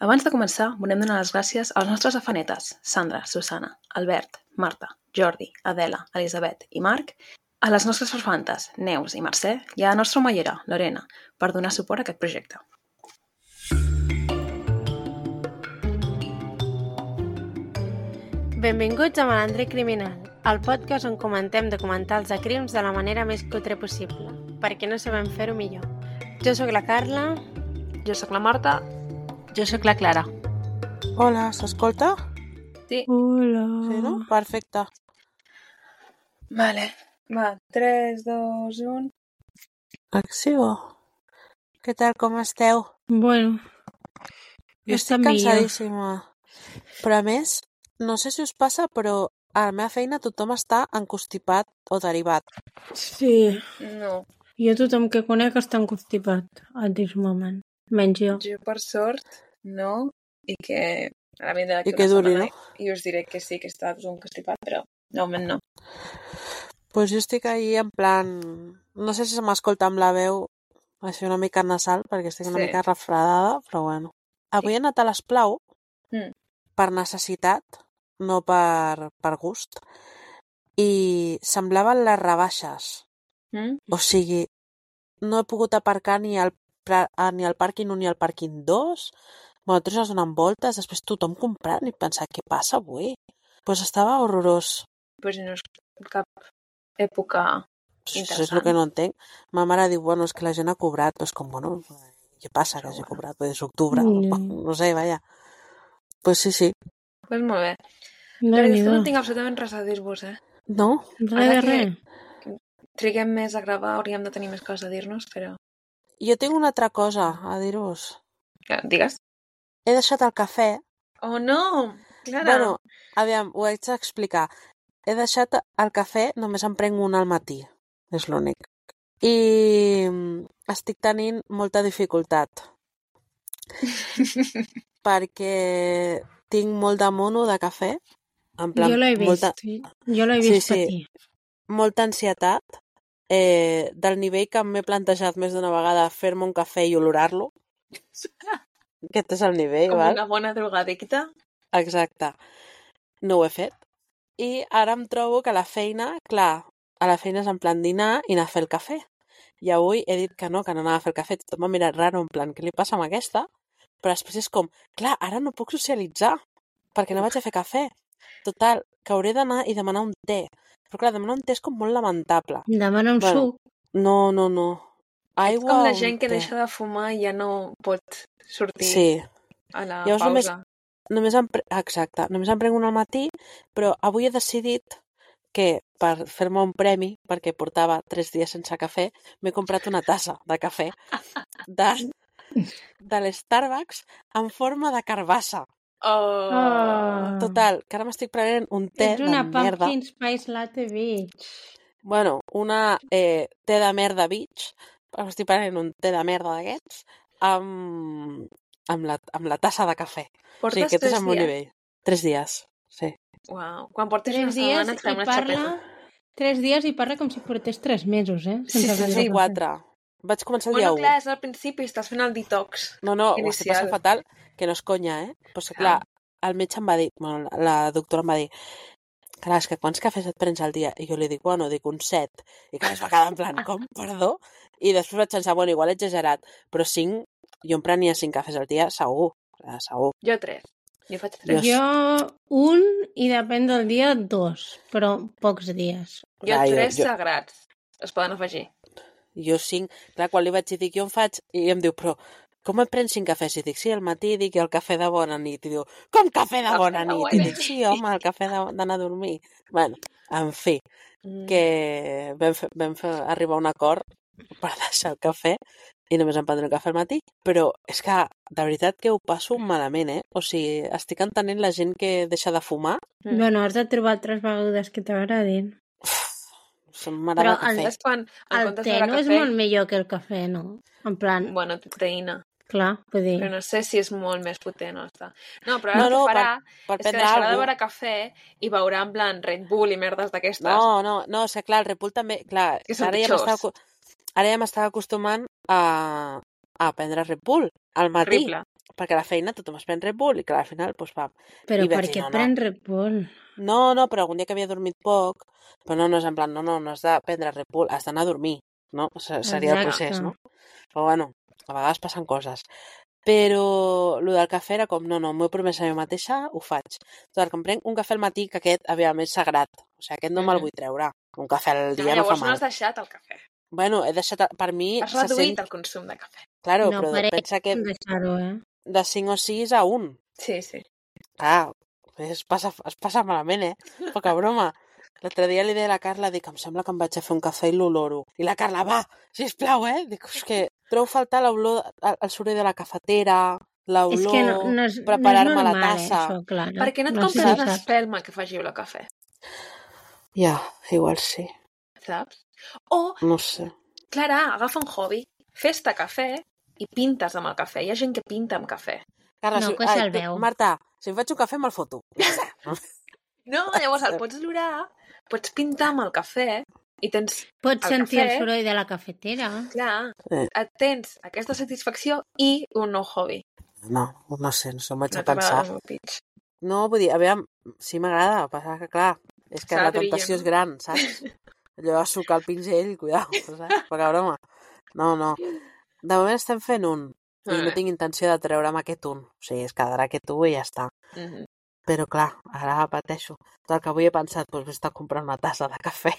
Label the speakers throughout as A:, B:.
A: Abans de començar, volem donar les gràcies als nostres afanetes, Sandra, Susana, Albert, Marta, Jordi, Adela, Elisabet i Marc, a les nostres farfantes, Neus i Mercè, i a la nostra omellera, Lorena, per donar suport a aquest projecte.
B: Benvinguts a Malandre Criminal, el podcast on comentem documentals de crims de la manera més cutre possible, perquè no sabem fer-ho millor. Jo sóc la Carla.
A: Jo sóc la Marta.
C: Jo sóc la Clara.
D: Hola, s'escolta?
A: Sí.
B: Hola.
D: Sí, no? Perfecte.
A: Vale, va, 3, 2, 1...
D: Acció. Què tal, com esteu?
B: Bueno,
D: Jo estic cansadíssima. Però a més, no sé si us passa, però a la meva feina tothom està encostipat o derivat.
B: sí.
A: No,
B: Jo tothom que conec està encostipat at this moment. Menys jo.
A: jo per sort no, i que a la vida
D: I que duri, no?
A: I us diré que sí, que està constipat, però de moment no.
D: Pues jo estic ahí en plan... No sé si se m'escolta amb la veu així una mica nasal, perquè estic una
A: Sí.
D: mica refredada, però bueno. Avui he anat a l'Esplau per necessitat, no per gust, i semblaven les rebaixes. O sigui, no he pogut aparcar ni al pàrquing 1 ni al pàrquing 2. Bueno, tots es donen voltes, després tothom comprant i pensar, què passa avui? Doncs estava horrorós.
A: Pues no és cap època
D: Això és
A: interessant.
D: el que no entenc. Ma mare diu, bueno, és que la gent ha cobrat. Doncs com, bueno, què passa que hagi cobrat? Pues és octubre, no sé, vaja. Pues sí.
A: Pues molt bé.
B: No,
A: Però és que no tinc absolutament res a dir-vos,
D: No?
B: Res de res.
A: Triguem més a gravar, hauríem de tenir més coses a dir-nos, però...
D: Jo tinc una altra cosa a dir-vos.
A: Digues.
D: He deixat el cafè.
A: Oh, no! Clara!
D: Bueno, aviam, ho haig d'explicar. He deixat el cafè, només em prenc un al matí. És l'únic. I estic tenint molta dificultat. Perquè tinc molt de mono de cafè. En plan,
B: Jo l'he vist. Jo l'he vist patir.
D: Molta ansietat. Del nivell que m'he plantejat més d'una vegada fer-me un cafè i olorar-lo. Aquest és el nivell,
A: Com
D: val?
A: una bona drogadicta.
D: Exacte. No ho he fet. I ara em trobo que a la feina, clar, a la feina és en plan dinar i anar a fer el cafè. I avui he dit que no anava a fer el cafè. Tothom m'ha mirat raro, en plan, què li passa amb aquesta? Però després és com, clar, ara no puc socialitzar, perquè no vaig a fer cafè. Total, que hauré d'anar i demanar un té. Però clar, demanar un té és com molt lamentable.
B: Demana un suc.
D: No. Aigua
A: Ets com la
D: o
A: gent que
D: té.
A: deixa de fumar i ja no pot sortir
D: Sí.
A: a la
D: Llavors
A: pausa.
D: Exacte, només em prenc un al matí, però avui he decidit que per fer-me un premi, perquè portava 3 dies sense cafè, m'he comprat una tassa de cafè de l'Starbucks en forma de carbassa.
A: Oh!
D: Total, que ara m'estic prenent un té
B: Ets
D: de
B: una
D: merda.
B: pumpkin spice latte bitch.
D: Bueno, una té de merda bitch. M'estic prenent un té de merda d'aquests amb la tassa de cafè.
A: Portes
D: Sí, aquest
A: 3
D: és el meu
A: dies?
D: nivell. 3 dies, sí.
A: Uau. Quan portes
B: 3
A: una
B: dies
A: setmana et fem
B: i
A: una xapeta.
B: 3 dies i parla com si portés 3 mesos,
A: Sí,
B: sense
A: sí,
B: beure
A: sí,
B: cafè.
D: 4. Vaig començar el dia
A: Bueno,
D: 1.
A: clar, és al principi, estàs fent el detox.
D: No, ho estic
A: inicial.
D: passant fatal, que no és conya, Però és que, clar, el metge em va dir, bueno, la doctora em va dir, clar, és que quants cafès et prens al dia? I jo li dic, dic un 7. I clar, es va quedar en plan, com? Perdó? I després vaig pensar, bueno, igual he exagerat, però 5, jo em prenia 5 cafès al dia, segur. Segur.
A: Jo 3. Jo faig 3.
B: Jo un i depèn del dia 2, però pocs dies.
A: Jo 3 sagrats. Es poden afegir.
D: Jo 5. Clar, quan li vaig dir, dic, jo em faig... I em diu, però com et prens 5 cafès? I dic, sí, al matí dic, i el cafè de bona nit. I diu, com cafè de bona nit? I dic, sí, home, el cafè d'anar a dormir. Bueno, en fi, que vam fer arribar a un acord per deixar el cafè i només em prendré un cafè al matí. Però és que, de veritat, que ho passo malament, O sigui, estic entenent la gent que deixa de fumar.
B: Bueno, has de trobar altres begudes que t'agradin.
D: M'agrada el cafè.
A: És quan,
B: El té no és molt millor que el cafè, no? En plan,
A: Bueno, proteïna.
B: clar, vull dir...
A: Però no sé si és molt més potent o està. No, però ara
D: No,
A: el que farà
D: per
A: és que
D: prendre
A: deixarà de
D: alguna
A: beure cafè i beurà en plan Red Bull i merdes d'aquestes.
D: No, és que clar, el Red Bull també... Clar,
A: Que són
D: ara ja m'estava acostumant a prendre Red Bull al matí.
A: Horrible.
D: perquè a la feina tothom es pren Red Bull i clar, al final, doncs pam.
B: Però
D: I vaig
B: per
D: dir,
B: què
D: no,
B: et pren Red Bull?
D: No, però algun dia que havia dormit poc, però no és en plan, no has de prendre Red Bull, has d'anar a dormir, no? Seria el procés, no? Però bueno, a vegades passen coses. Però el del cafè era com, no, m'ho he promès a mi mateixa, ho faig. Total, que em prenc un cafè al matí, que aquest, aviam, és sagrat. O sigui, aquest no me'l vull treure. Un cafè al dia no fa
A: Llavors no
D: mal.
A: has deixat el cafè.
D: Bueno, he deixat, per mi...
A: Has reduït el consum de cafè.
D: Claro,
B: No,
D: però
B: per ell
D: pensa que
B: deixar-ho,
D: de 5 o 6 a 1.
A: Sí.
D: Clar, es passa malament, Poca broma. L'altre dia li deia a la Carla, dic, em sembla que em vaig a fer un cafè i l'oloro. I la Carla, va, sisplau, Dic, és que trobo faltar l'olor, el soroll de la cafetera, l'olor,
B: és que no és
D: preparar-me la
B: normal,
D: tassa.
B: això, Clara.
A: Per què no et
B: sé
A: compres
B: si
A: una
B: saps.
A: espelma que faci olor a cafè?
D: Ja, igual sí.
A: Saps? O,
D: No sé.
A: Clara, agafa un hobby, fes-te cafè i pintes amb el cafè. Hi ha gent que pinta amb cafè.
D: Carla,
B: No, que se'l veu.
D: Marta, si em faig un cafè me'l foto.
A: No, llavors el pots olorar, pots pintar amb el cafè i tens
B: Pots
A: el
B: sentir el
A: cafè.
B: soroll de la cafetera.
A: Clar,
D: Eh.
A: tens aquesta satisfacció i un nou hobby.
D: No sé, em vaig
A: No
D: a pensar.
A: t'agrada el pitch.
D: No, vull dir, aviam, sí m'agrada, passa que clar, és que
A: S'ha
D: la
A: de brillar,
D: tentació
A: no?
D: és gran, saps? Allò de sucar el pinzell, cuidao, saps? Poca broma. No. De moment estem fent un, i no tinc intenció de treure'm aquest un. O sigui, es quedarà aquest un i ja està.
A: Mhm.
D: Però clar, ara pateixo. Tot el que avui he pensat, doncs vés-te a comprar una tassa de cafè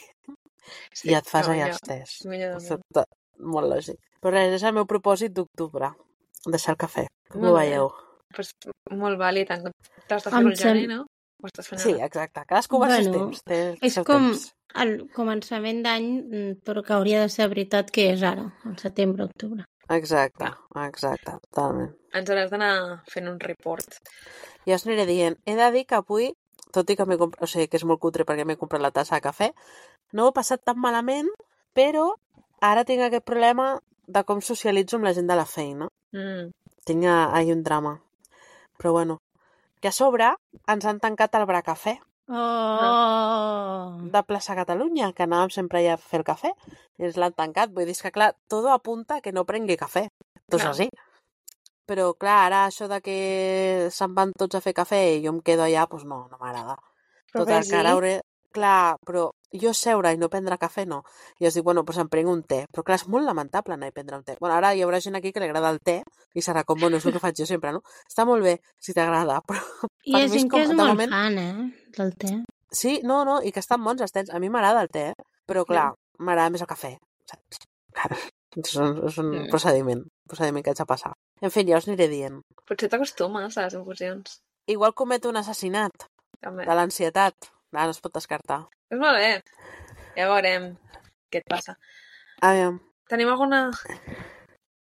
A: Sí,
D: i et fas
A: no,
D: allà
A: millor.
D: els tés.
A: Millor de
D: Molt lògic. Però res, és el meu propòsit d'octubre, deixar el cafè. Com ho
A: Molt bé.
D: veieu?
A: Pues, molt vàlid. T'has de fer el gener, no? Ho estàs fent
D: Sí,
A: ara.
D: exacte. Cadascú va als seus
B: Bueno,
D: temps. Té el
B: És
D: seu
B: com
D: temps.
B: el començament d'any, però que hauria de ser veritat que és ara, al setembre, octubre.
D: Exacte, totalment.
A: Ens hauràs d'anar fent un report.
D: Ja us aniré dient. He de dir que avui, tot i que o sigui, que és molt cutre perquè m'he comprat la tassa de cafè, no ho he passat tan malament, però ara tinc aquest problema de com socialitzo amb la gent de la feina. Tinc ahir un drama. Però bueno, que a sobre ens han tancat el Bracafè
B: Oh!
D: de plaça Catalunya, que anàvem sempre allà a fer el cafè, i ens l'han tancat. Vull dir, és que clar, tot apunta a que no prengui cafè. Tot és
A: Clar.
D: així. Però clar, ara això de que se'n van tots a fer cafè i jo em quedo allà, doncs no m'agrada.
A: Però
D: Total,
A: ves-hi.
D: que ara hauré... Clar, però jo seure i no prendre cafè, no. I jo dic, bueno, doncs em prenc un té. Però clar, és molt lamentable anar a prendre un té. Bueno, ara hi haurà gent aquí que li agrada el té i serà com, bueno, és el que faig jo sempre, no? Està molt bé, si t'agrada, però...
B: Hi ha
D: per mi
B: gent que és
D: de
B: molt
D: moment-
B: fan, del té.
D: Sí, no, i que estan bons els tés. A mi m'agrada el té, però clar, m'agrada més el cafè. Saps? Clar, és un procediment que haig de passar. En fi, ja us aniré dient.
A: Potser t'acostumes a les infusions.
D: Igual cometo un assassinat
A: També.
D: de l'ansietat. No es pot descartar.
A: És molt bé. Ja veurem què et passa.
D: Aviam.
A: Tenim alguna...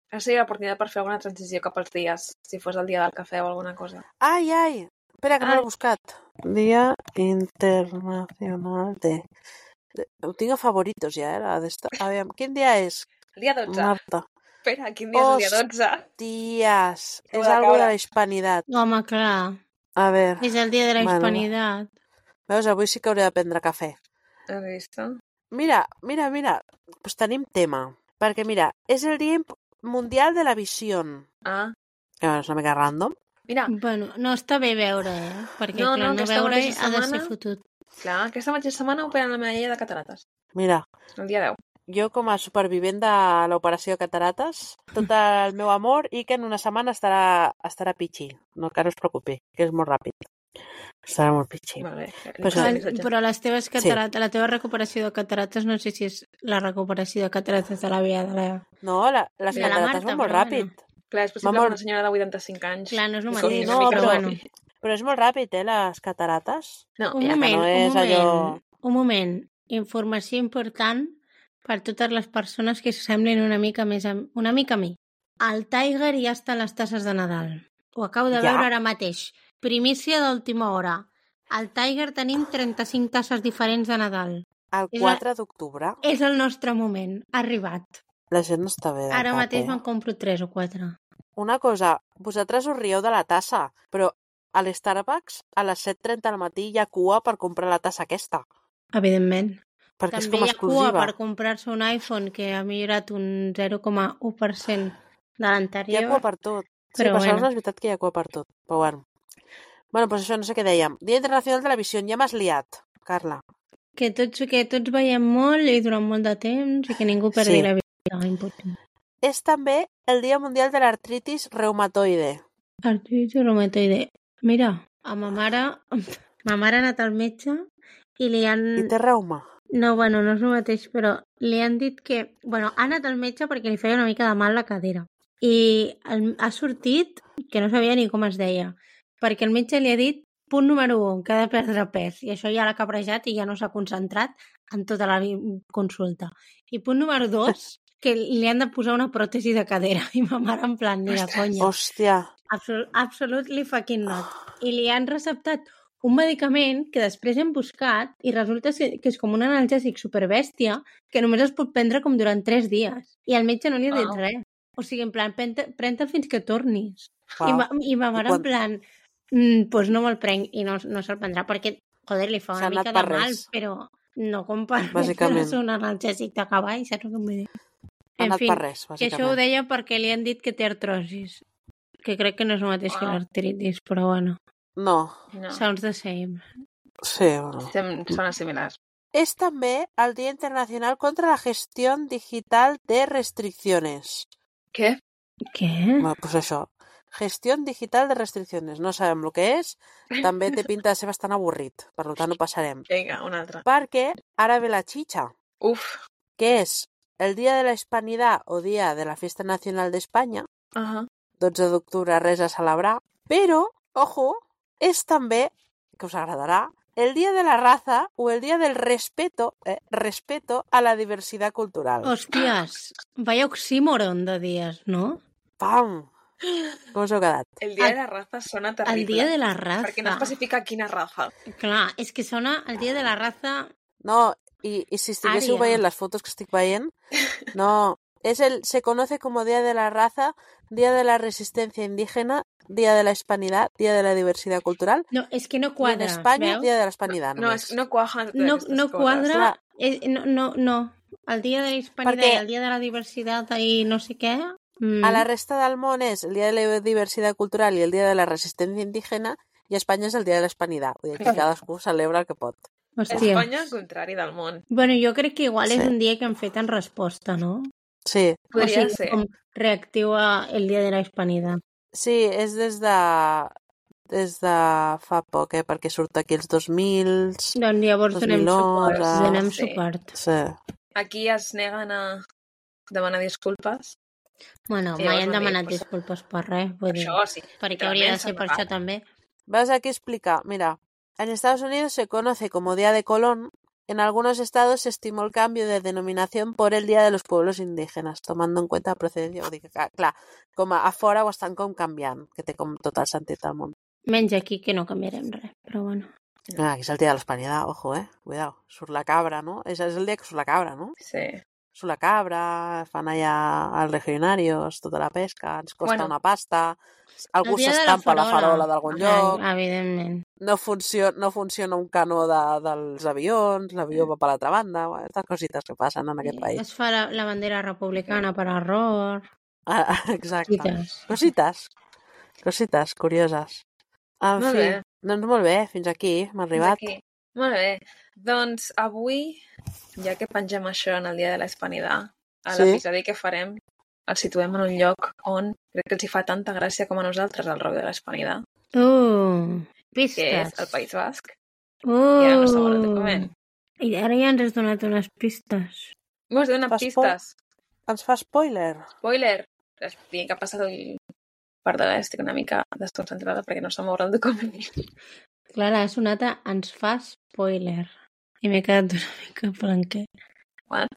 A: Ara seria l'oportunitat per fer alguna transició cap als dies, si fos el dia del cafè o alguna cosa.
D: Ai! Espera, que no
A: Ai.
D: l'he buscat. Dia Internacional de... Ho tinc a favoritos ja, Aviam, quin dia és?
A: El dia 12.
D: Marta.
A: Espera, quin dia és el dia 12?
D: Ties,
A: Acabo
D: és
A: de
D: algo
A: caure.
D: de la hispanidad.
B: Home, clar,
D: A veure,
B: és el dia de la
D: Bueno.
B: hispanitat.
D: veus, avui sí que hauré de prendre cafè.
A: Has vist?
D: Mira, pues tenim tema. Perquè mira, és el dia mundial de la visió.
A: Ah,
D: Que bueno, és una mica random.
A: mira,
B: Bueno, no està bé veure, Perquè,
A: No,
B: clar,
A: no,
B: no
A: aquesta
B: veure
A: mateixa
B: ha de ser
A: setmana-
B: fotut.
A: clar, aquesta mateixa setmana operen la medalla de catarates.
D: Mira,
A: El dia 10.
D: jo com a supervivent de l'operació de catarates, tot el meu amor i que en una setmana estarà pitxi. No, que no es preocupi, que és molt ràpid. Estarà molt pitxi.
A: Molt bé.
D: Pues
A: Passaré
D: sí.
A: el missatge.
B: Però les teves catarates, la teva recuperació de catarates, no sé si és la recuperació de catarates de la via de la...
D: No, les
A: De la
D: catarates
B: Marta,
D: van molt
B: però
D: ràpid.
A: Clar, és possible
D: Amor.
A: que una senyora de 85 anys...
B: Clar, no és el
A: li
B: mateix,
A: costi
D: no,
A: una mica
D: però-
A: de-
B: bueno.
D: Però és molt ràpid, les catarates.
A: No,
B: Un
A: ja,
B: moment,
D: no és allò-
B: un moment. Informació important per totes les persones que s'assemblin una mica a mi. El Tiger ja està a les tasses de Nadal. Ho acabo de
D: Ja?
B: veure ara mateix. Primícia d'última hora. Al Tiger tenim 35 tasses diferents de Nadal.
D: El
B: És
D: 4 d'octubre
B: És el nostre moment. Ha arribat.
D: la gent no està bé de
B: Ara
D: cap,
B: mateix me'n compro 3 o 4.
D: Una cosa, vosaltres us rieu de la tassa, però a l'Starbucks a les 7:30 del matí hi ha cua per comprar la tassa aquesta,
B: Evidentment.
D: perquè és
B: També
D: com
B: hi ha cua
D: exclusiva.
B: per comprar-se un iPhone que ha millorat un 0,1% de
D: Hi ha
B: l'anterior.
D: cua per tot. Sí,
B: Però
D: Barcelona
B: bueno,
D: és veritat que hi ha cua per tot, però bueno. Bueno, doncs això, no sé què dèiem. Dia Internacional de la Visió, ja m'has liat, Carla.
B: que tots veiem molt i durant molt de temps i que ningú perdi
D: Sí.
B: la vida. Important.
D: És també el Dia Mundial de l'Artritis Reumatoide.
B: Artritis reumatoide. Mira, a ma mare ha anat al metge i li han...
D: I té reuma?
B: No, bueno, no és el mateix, però li han dit que... Bueno, ha anat al metge perquè li feia una mica de mal la cadera. I ha sortit que no sabia ni com es deia, perquè el metge li ha dit punt número 1, que ha de perdre pes, i això ja l'ha cabrejat i ja no s'ha concentrat en tota la consulta. I punt número 2, que li han de posar una pròtesi de cadera, i ma mare en plan, ni de conya.
D: Hòstia.
B: Absolutely fucking not. I li han receptat un medicament que després hem buscat i resulta que és com un analgèsic superbèstia que només es pot prendre com durant 3 dies. I el metge no li ha dit res. O sigui, en plan, pren-te'l fins que tornis.
D: Wow.
B: I ma mare en plan, pues no me'l prenc i no se'l prendrà perquè, joder, li fa una mica de mal, però no com per
D: bàsicament.
B: un analgèsic de cavall, saps què em vull dir?
D: Ha anat per res,
B: que
D: bàsicament.
B: això ho deia perquè li han dit que té artrosis, que crec que no és el mateix que l'artritis, però bueno.
D: No.
B: Sounds the same.
D: Sí, bueno.
A: Són similars.
D: És també el Dia Internacional contra la Gestión Digital de Restricciones.
A: Què?
B: Què?
D: Bueno, pues això. Gestión Digital de Restricciones. No sabem el que és. També té pinta de ser bastant avorrit. Per tant, ho passarem.
A: Vinga, un altre.
D: Perquè ara ve la chicha.
A: Uf.
D: Que és el Dia de la Hispanidad o Dia de la Fiesta Nacional de España. 12 d'octubre, res a celebrar. Però, ojo, és també, que us agradarà, el Día de la Raza o el Día del Respeto a la Diversidad Cultural.
B: Hòsties, vaya oxímoron de dies, no?
D: Pam! Com us heu quedat?
A: El Dia de la Raza sona terrible.
B: El Dia de la Raza.
A: Perquè no especifica quina raza.
B: Clar, és que sona el Dia de la Raza...
D: No, i si estiguéssiu veient les fotos que estic veient, no, se conoce como Día de la Raza, Día de la Resistencia Indígena, Día de la Hispanidad, Día de la Diversidad Cultural.
B: No, és que no quadra,
D: en Espanya,
B: veus?
D: Día de la Hispanidad.
A: No quadra
B: no quadra. No. El Dia de la Hispanidad i el Dia de la Diversitat i no sé què...
D: A la resta del món és el Dia de la Diversidad Cultural i el Dia de la Resistencia Indígena i a Espanya és el Dia de la Hispanidad. Vull dir que cadascú celebra el que pot.
B: Hòstia.
A: Espanya, al contrari del món.
B: Bueno, jo crec que igual és un dia que han fet en resposta, no?
D: Sí.
A: Podria ser.
B: Com reactiu el Dia de la Hispanidad.
D: Sí, és des de fa poc, perquè surt aquí els 2000...
B: Doncs llavors donem suport.
D: Sí.
A: Aquí es neguen a demanar disculpes.
B: Bueno, mai han demanat disculpes per res.
A: Per això, sí.
B: Perquè hauria de ser per això també.
D: Vas aquí a explicar. Mira, en Estados Unidos se conoce como Día de Colón. En algunos estados se estimó el cambio de denominación por el Día de los Pueblos Indígenas, tomando en cuenta la procedencia. Vull dir que, clar, com a fora ho estan com canviant, que té com tot el sentit del món.
B: Menys aquí, que no canviarem res, però bueno.
D: Aquí és el Dia de l'Hispanidad, ojo, cuidado. Surt la cabra, no? És el dia que surt la cabra, no?
A: Sí.
D: Surt la cabra, fan allà els legionarios, tota la pesca, ens costa una pasta, algú s'estampa la farola d'algun lloc,
B: evidentment.
D: no funciona un canó dels avions, l'avió va per l'altra banda, aquestes cosites que passen en aquest país.
B: Es fa la bandera republicana per error.
D: Exacte. Cosites curioses. En fi, doncs molt bé, fins aquí hem arribat.
A: Molt bé. Doncs avui, ja que pengem això en el Dia de la Hispanidad, a l'episodi que farem el situem en un lloc on crec que els hi fa tanta gràcia com a nosaltres el rock de la Hispanidad.
B: Pistes.
A: Que és el País Basc. I ara no sabem el document.
B: I ara ja ens has donat unes pistes.
A: M'has donat pistes.
D: Ens fa spoiler.
A: Spoiler. Tinc que passar el part de l'estic una mica desconcentrada perquè no se m'obre el document.
B: Clara, ha sonat a ens fa spoiler. I m'he quedat una mica blanquet.
A: What?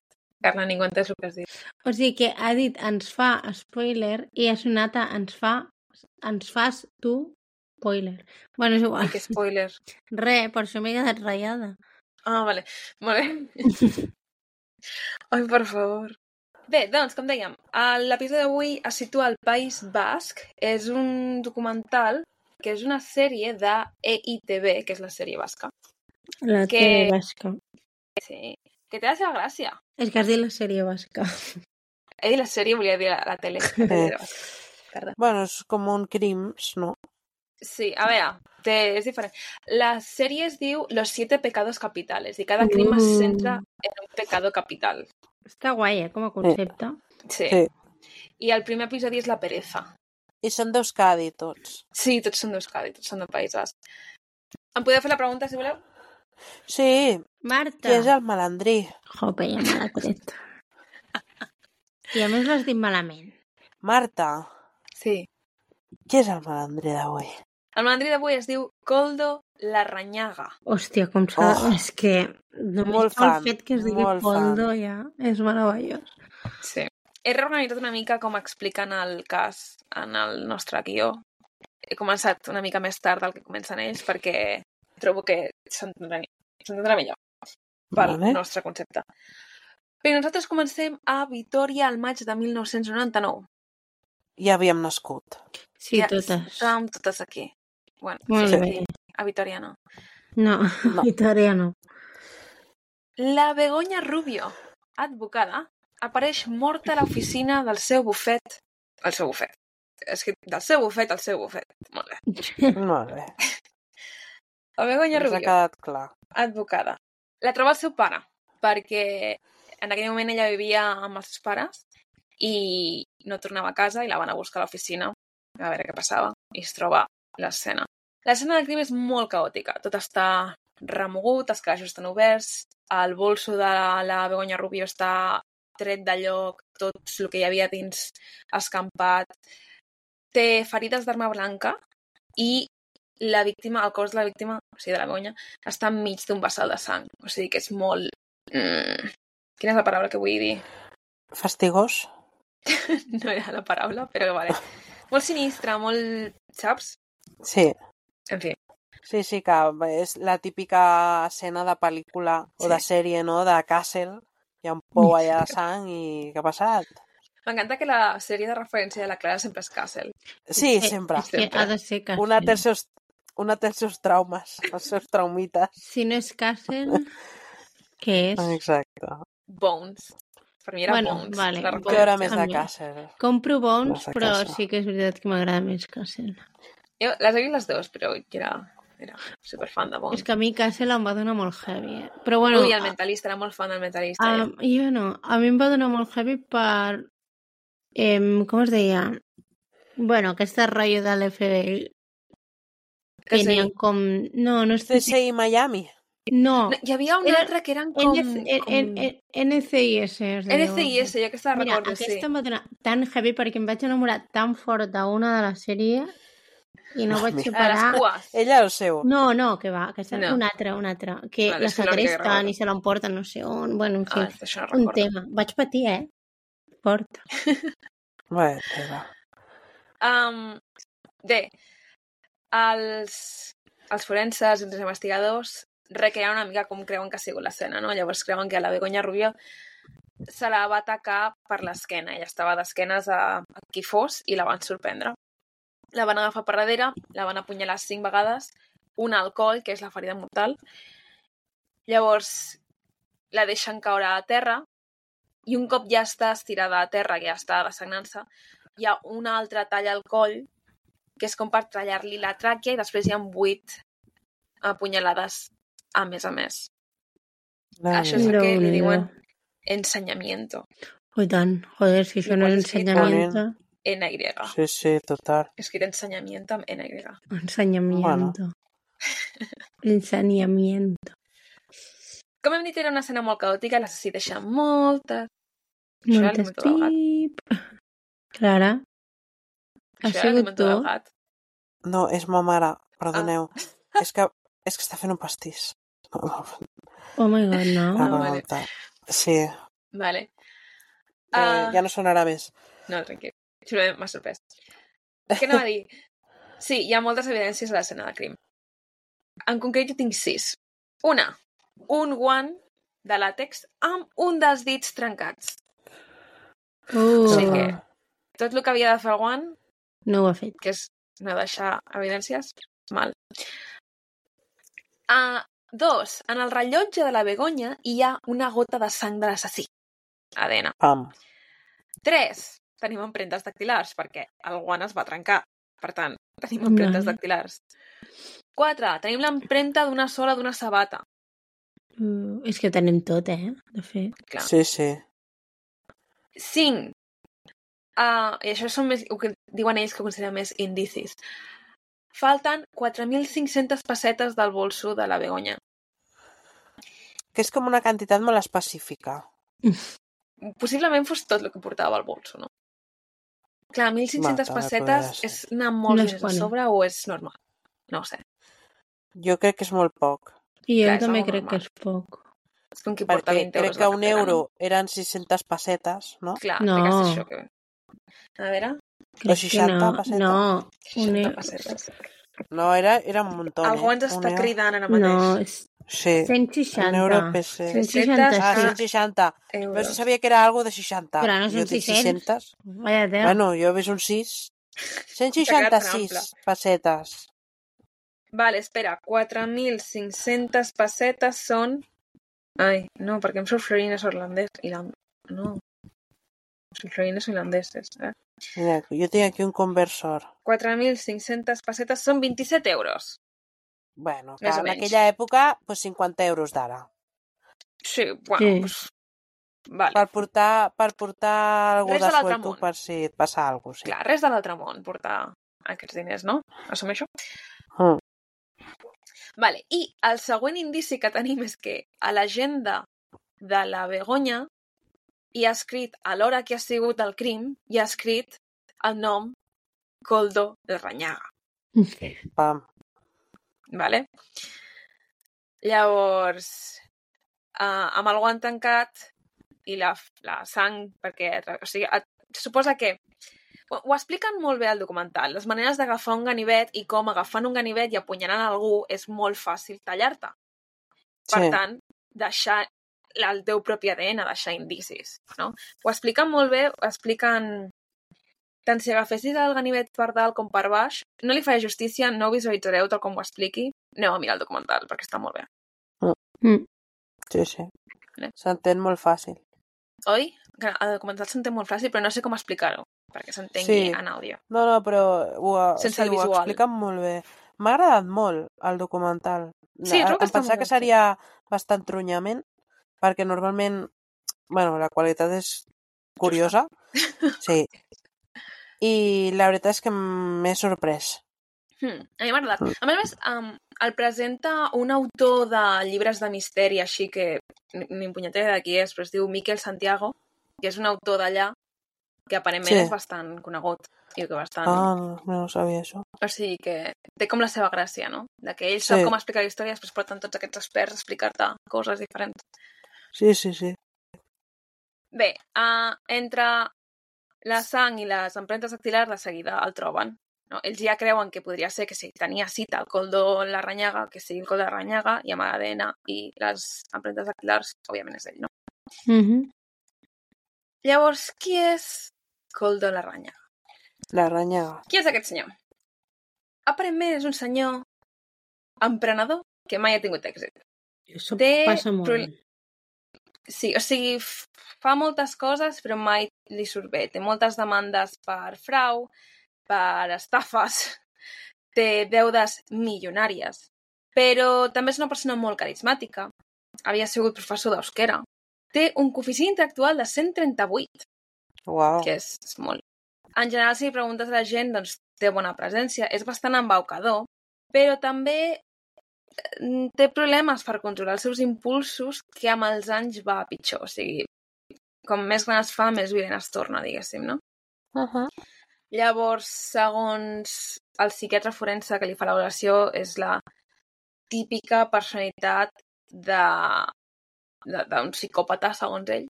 A: Carla, ningú entès el que has dit.
B: O sigui que ha dit ens fa spoiler i ha sonat a ens fas tu spoiler. Bueno, és igual.
A: I què spoiler?
B: Per això m'he quedat ratllada.
A: Ah, vale. Molt bé. Ai, per favor. Bé, doncs, com dèiem, l'episodi d'avui es situa al País Basc. És un documental que és una sèrie de EITB, que és la sèrie basca.
B: La tele basca.
A: Sí, que té la seva gràcia.
B: És que has dit la sèrie basca.
A: He dit la sèrie, volia dir la tele. Perdó.
D: Bueno, és com un crims, no?
A: Sí, a veure, és diferent. La sèrie es diu Los 7 pecados capitales i cada crim es centra en un pecado capital.
B: Està guai, com a concepte.
A: Sí.
D: Sí.
A: I el primer episodi és la pereza.
D: I són d'Euskadi, tots.
A: Sí, tots són d'Euskadi, tots són del País Basc. Em podeu fer la pregunta, si voleu?
D: Sí,
B: Marta.
D: qui és el malandrí?
B: Jope, ja me l'ha tret. I a més l'has dit malament.
D: Marta,
A: Sí.
D: qui és el malandrí d'avui?
A: El malandrí d'avui es diu Koldo Larrañaga.
B: Hòstia, com s'ha...
D: Oh.
B: És que només
D: Molt
B: pel
D: fan,
B: fet que es digui
D: molt
B: Poldo ja és meravellós.
A: Sí. He reorganitzat una mica com expliquen el cas en el nostre guió. He començat una mica més tard del que comencen ells perquè trobo que s'entendrà millor pel nostre concepte. Bé, nosaltres comencem a Vitòria al maig de 1999.
D: Ja havíem nascut.
B: Sí,
A: ja
B: totes.
A: Estàvem totes aquí. Bueno,
B: Molt
A: sí,
B: bé.
A: a Vitòria no.
B: No, Vitòria no.
A: La Begoña Rubio, advocada, apareix morta a l'oficina del seu bufet. El seu bufet. És que del seu bufet al seu bufet. Molt bé.
D: Molt bé.
A: La Begoña
D: Ens ha
A: Rubio,
D: quedat clar.
A: advocada. La troba el seu pare, perquè en aquell moment ella vivia amb els seus pares i no tornava a casa i la van a buscar a l'oficina a veure què passava i es troba l'escena. L'escena del crim és molt caòtica. Tot està remogut, els calaixos estan oberts, el bolso de la Begoña Rubio està tret de lloc, tot el que hi havia dins escampat. Té ferides d'arma blanca i la víctima, el cos de la víctima, o sigui, de la Begoña, està enmig d'un vessal de sang. O sigui que és molt... Quina és la paraula que vull dir?
D: Fastigós?
A: No era la paraula, però vale. Molt sinistre, molt... Saps?
D: Sí.
A: En fi.
D: Sí, que és la típica escena de pel·lícula o de sèrie, no?, de Castle. Hi ha un pou allà de sang i què ha passat?
A: M'encanta que la sèrie de referència de la Clara sempre és Castle.
D: Sí, sempre.
B: És que ha de ser Castle.
D: Una té els seus traumes, els seus traumites.
B: Si no és Castle, què és?
D: Exacte.
A: Bones. Per mi era Bones.
B: Vale.
A: La
D: Que era més de
B: També.
D: Castle.
B: Compro Bones,
D: No sé
B: però
D: Castle.
B: sí que és veritat que m'agrada més Castle.
A: Jo les he vist les dues, però jo era superfan de Bones.
B: És que a mi Castle em va donar molt heavy, eh? Però bueno...
A: Ui, el Mentalista, era molt fan del Mentalista.
B: Jo no. A mi em va donar molt heavy per... com es deia? Bueno, aquest rotllo de l'FBI.
A: Que sí.
B: Tenien com... No és...
D: CSI Miami.
B: No.
A: Hi havia un altre que eren com...
B: NCIS es diu.
A: NCIS, jo aquesta la
B: Mira,
A: recordo, sí.
B: aquesta em va donar tan heavy perquè em vaig enamorar tan fort d'una de la sèrie i no vaig
A: A les
B: separar...
A: cues.
D: Ella el seu.
B: No, que va, aquesta
A: No.
B: una altra. Que
A: Vale,
B: la
A: és que no recordo.
B: segresten i se l'emporten no sé on. Bueno, en fi,
A: Això no
B: un
A: recordo.
B: tema. Vaig patir, Fort.
D: Bé, teva.
A: Bé, els forenses i els investigadors recreaven una mica com creuen que ha sigut l'escena, no? Llavors creuen que a la Begoña Rubio se la va atacar per l'esquena. Ella estava d'esquenes a qui fos i la van sorprendre. La van agafar per darrere, la van apunyalar 5 vegades, una al coll, que és la ferida mortal. Llavors la deixen caure a terra i un cop ja està estirada a terra, que ja està desagnant-se, hi ha una altra talla al coll que és com per tallar-li la tràquea i després hi ha 8 apunyalades a més. Això és el que li diuen ensenyamiento.
B: Oh, i tant. Joder, si això no és ensenyamiento.
A: NY.
D: Sí, total.
A: Escrit ensenyamiento amb NY.
B: Ensenyamiento. Ensenyamiento.
A: Com hem dit, era una escena molt caòtica, l'assassí deixa moltes...
B: Moltes pip. Clara, ha
A: Això era
B: sigut
A: l'alimento del
B: tu?
A: gat.
D: No, és ma mare, perdoneu. És que està fent un pastís.
B: Oh my god, no.
A: vale.
D: Sí,
A: Vale.
D: ja no sonarà més.
A: No, tranquil. M'ha sorprès. Què anava a dir? Sí, hi ha moltes evidències a l'escena del crim. En concret, jo tinc 6. Una, un guant de làtex amb un dels dits trencats. O sigui que tot el que havia de fer el guant,
B: No ho ha fet.
A: que és no deixar evidències, mal. 2, en el rellotge de la Begoña hi ha una gota de sang de l'assassí. ADN.
D: Pam.
A: 3, tenim empremtes dactilars, perquè el guant es va trencar. Per tant, tenim empremtes dactilars. 4. Tenim l'empremta d'una sola d'una sabata.
B: És que ho tenim tot, de fet.
A: Clar.
D: Sí, sí.
A: 5. I això són més, el que diuen ells que consideren més indicis. Falten 4.500 pessetes del bolso de la Begoña.
D: Que és com una quantitat molt específica.
A: Possiblement fos tot el que portava al bolso, no? Clar, 1.500
D: també
A: pessetes
D: podria ser.
A: és anar molt
B: No
A: diners
B: és
A: a
B: quan.
A: sobre o és normal? No ho sé.
D: Jo crec que és molt poc.
B: I jo
A: Clar, és
B: també
A: algo
B: crec
A: normal.
B: que és poc.
A: És com qui porta
D: Perquè
A: 20
D: crec
A: euros
D: que
A: a la
D: un
A: cartera,
D: euro
A: no?
D: eren 600 pessetes, no?
A: Clar,
B: No.
A: té que ser això. Que... A veure,
B: Crec
D: 60
B: que no.
D: pessetes.
B: No,
A: 60 pessetes.
D: No, era un muntó,
A: Algú ens està cridant ara
B: no,
A: mateix.
B: és
D: Sí,
B: 160.
D: un euro PC.
B: 160,
D: Ah,
B: sí.
D: 160. Però
A: Euros.
D: si sabia que era algo de 60.
B: Però no
D: Jo
B: són
D: dic
B: 600.
D: 600.
B: Vaya tela.
D: Bueno, jo he vist un 6.
A: T'ha quedat tan ample.
D: 166 pessetes.
A: Vale, espera. 4.500 pessetes són... Ai, no, perquè em surt florines holandeses. No. Són florines holandeses,
D: Mira, jo tinc aquí un conversor.
A: 4.500 pessetes són 27 euros.
D: Bueno,
A: Més o
D: en
A: menys.
D: aquella època, pues 50 euros d'ara.
A: Sí, bueno,
B: Sí.
A: pues... Vale.
D: Per portar algú
A: Res
D: de
A: de l'altre
D: suelto
A: món.
D: per si et passa alguna cosa. Sí.
A: Clar, res de l'altre món portar aquests diners, no? Assumeixo?
D: Mm.
A: Vale, i el següent indici que tenim és que a l'agenda de la Begoña hi ha escrit, a l'hora que ha sigut el crim, hi ha escrit el nom Koldo Larrañaga.
D: Pam.
A: Vale? Llavors, amb el guant tancat i la sang, perquè o sigui, se suposa que ho expliquen molt bé al documental, les maneres d'agafar un ganivet i com agafant un ganivet i apunyalant algú és molt fàcil tallar-te. Per
D: Sí.
A: tant, deixar el teu propi ADN, deixar indicis, no? Ho expliquen molt bé, ho expliquen... Tant si agafessis el ganivet per dalt com per baix, no li faré justícia, no ho visualitzareu tal com ho expliqui, aneu a mirar el documental, perquè està molt bé.
D: Sí, sí.
A: Vale.
D: S'entén molt fàcil.
A: Oi? Que el documental s'entén molt fàcil, però no sé com explicar-ho, perquè s'entengui en àudio.
D: No, però
A: Sense el
D: ho
A: visual.
D: expliquen molt bé. M'ha agradat molt el documental.
A: Sí, trobo que
D: em
A: està
D: pensava
A: molt
D: que
A: ben
D: seria bastant trunyament, perquè normalment, bueno, la qualitat és curiosa. Sí. I la veritat és que m'he sorprès.
A: A mi m'ha agradat. A més, el presenta un autor de llibres de misteri, així que ni punyetera de qui és, però es diu Miquel Santiago, que és un autor d'allà que aparentment
D: Sí.
A: és bastant conegut i que bastant...
D: No sabia això.
A: O sigui que té com la seva gràcia, no? De que ell
D: Sí.
A: sap com explicar la història i després porten tots aquests experts a explicar-te coses diferents.
D: Sí, sí, sí.
A: Bé, entre la sang i les empremtes dactilars de seguida el troben. No? Ells ja creuen que podria ser que si tenia cita el Koldo Larrañaga, que sigui el Koldo Larrañaga, i amb l'ADN i les empremtes dactilars, òbviament és ell, no? Llavors, qui és Koldo Larrañaga?
D: Larrañaga.
A: Qui és aquest senyor? Aparentment és un senyor emprenedor que mai ha tingut èxit.
B: Això
A: Té
B: passa molt.
A: Sí, o sigui, fa moltes coses, però mai li surt bé. Té moltes demandes per frau, per estafes, té deudes milionàries. Però també és una persona molt carismàtica. Havia sigut professor d'euskera. Té un coeficient intel·lectual de 138,
D: Uau.
A: que és molt. En general, si preguntes a la gent, doncs té bona presència, és bastant embaucador, però també té problemes per controlar els seus impulsos que amb els anys va a pitjor. O sigui, com més gran es fa, més violent es torna, diguéssim, no? Llavors, segons el psiquiatre forense que li fa l'avaluació, és la típica personalitat d'un psicòpata, segons ell.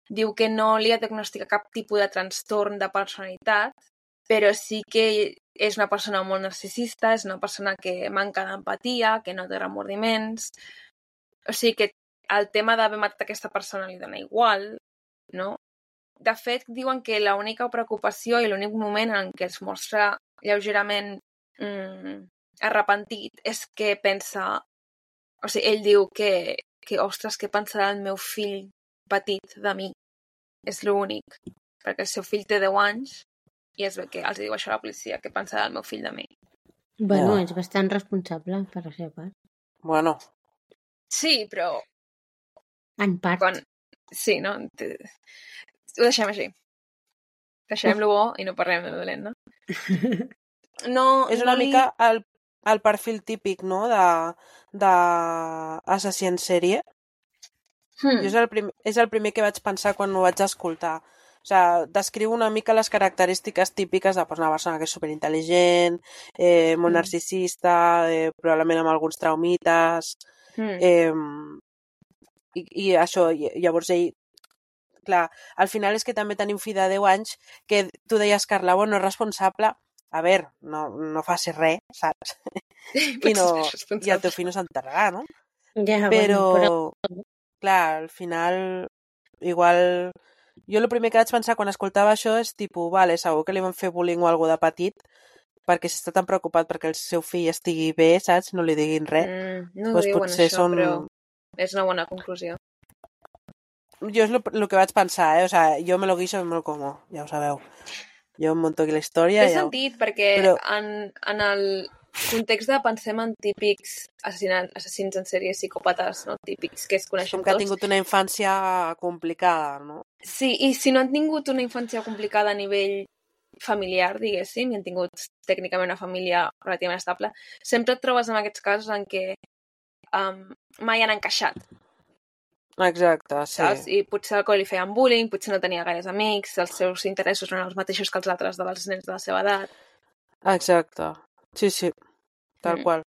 A: Diu que no li ha diagnosticat cap tipus de trastorn de personalitat, però sí que és una persona molt narcisista, és una persona que manca d'empatia, que no té remordiments. O sigui que el tema d'haver matat aquesta persona li dona igual, no? De fet, diuen que l'única preocupació i l'únic moment en què es mostra lleugerament arrepentit és que pensa... O sigui, ell diu que ostres, què pensarà el meu fill petit de mi? És l'únic. perquè el seu fill té 10 anys i es ve que els diu això a la policia, què pensarà el meu fill de mi.
B: Bueno,
D: Ja.
B: és bastant responsable per la seva part.
D: Bueno,
A: Sí, però
B: En part.
A: quan... Sí, no? Ho deixem així. Deixem-lo bo i no parlem de dolent, no? No,
D: és
A: no
D: una
A: li...
D: mica el perfil típic, no?, d'assassí en sèrie. Jo és el primer que vaig pensar quan ho vaig escoltar. O sigui, descriu una mica les característiques típiques de una persona que és superintel·ligent, molt narcisista, probablement amb alguns traumites, i això, llavors ell, clar, al final és que també tenim fill de 10 anys que tu deies, Carla, bueno, és responsable, a veure, no faci res, saps? I el teu fill no s'enterrarà, no?
B: Ja,
D: Però, clar, al final, igual... Jo el primer que vaig pensar quan escoltava això és tipus, vale, segur que li van fer bullying o alguna de petit, perquè si està tan preocupat perquè el seu fill estigui bé, saps? No li diguin res.
A: No
D: pues
A: diuen
D: potser
A: això,
D: són...
A: però és una bona conclusió.
D: Jo és el que vaig pensar, O sea, jo me lo guiso i me lo como, ja ho sabeu. Jo em monto aquí la història...
A: Té sentit, perquè
D: Però...
A: en el context de pensem en típics assassins en sèrie psicòpates, no? Típics que es coneixen
D: Com que ha
A: tots.
D: tingut una infància complicada, no?
A: Sí, i si no han tingut una infància complicada a nivell familiar, diguéssim, i han tingut tècnicament una família relativament estable, sempre et trobes en aquests casos en què mai han encaixat,
D: Exacte, sí.
A: saps? I potser algú li feien bullying, potser no tenia gaires amics, els seus interessos eren els mateixos que els altres dels nens de la seva edat.
D: Exacte. Sí, tal qual.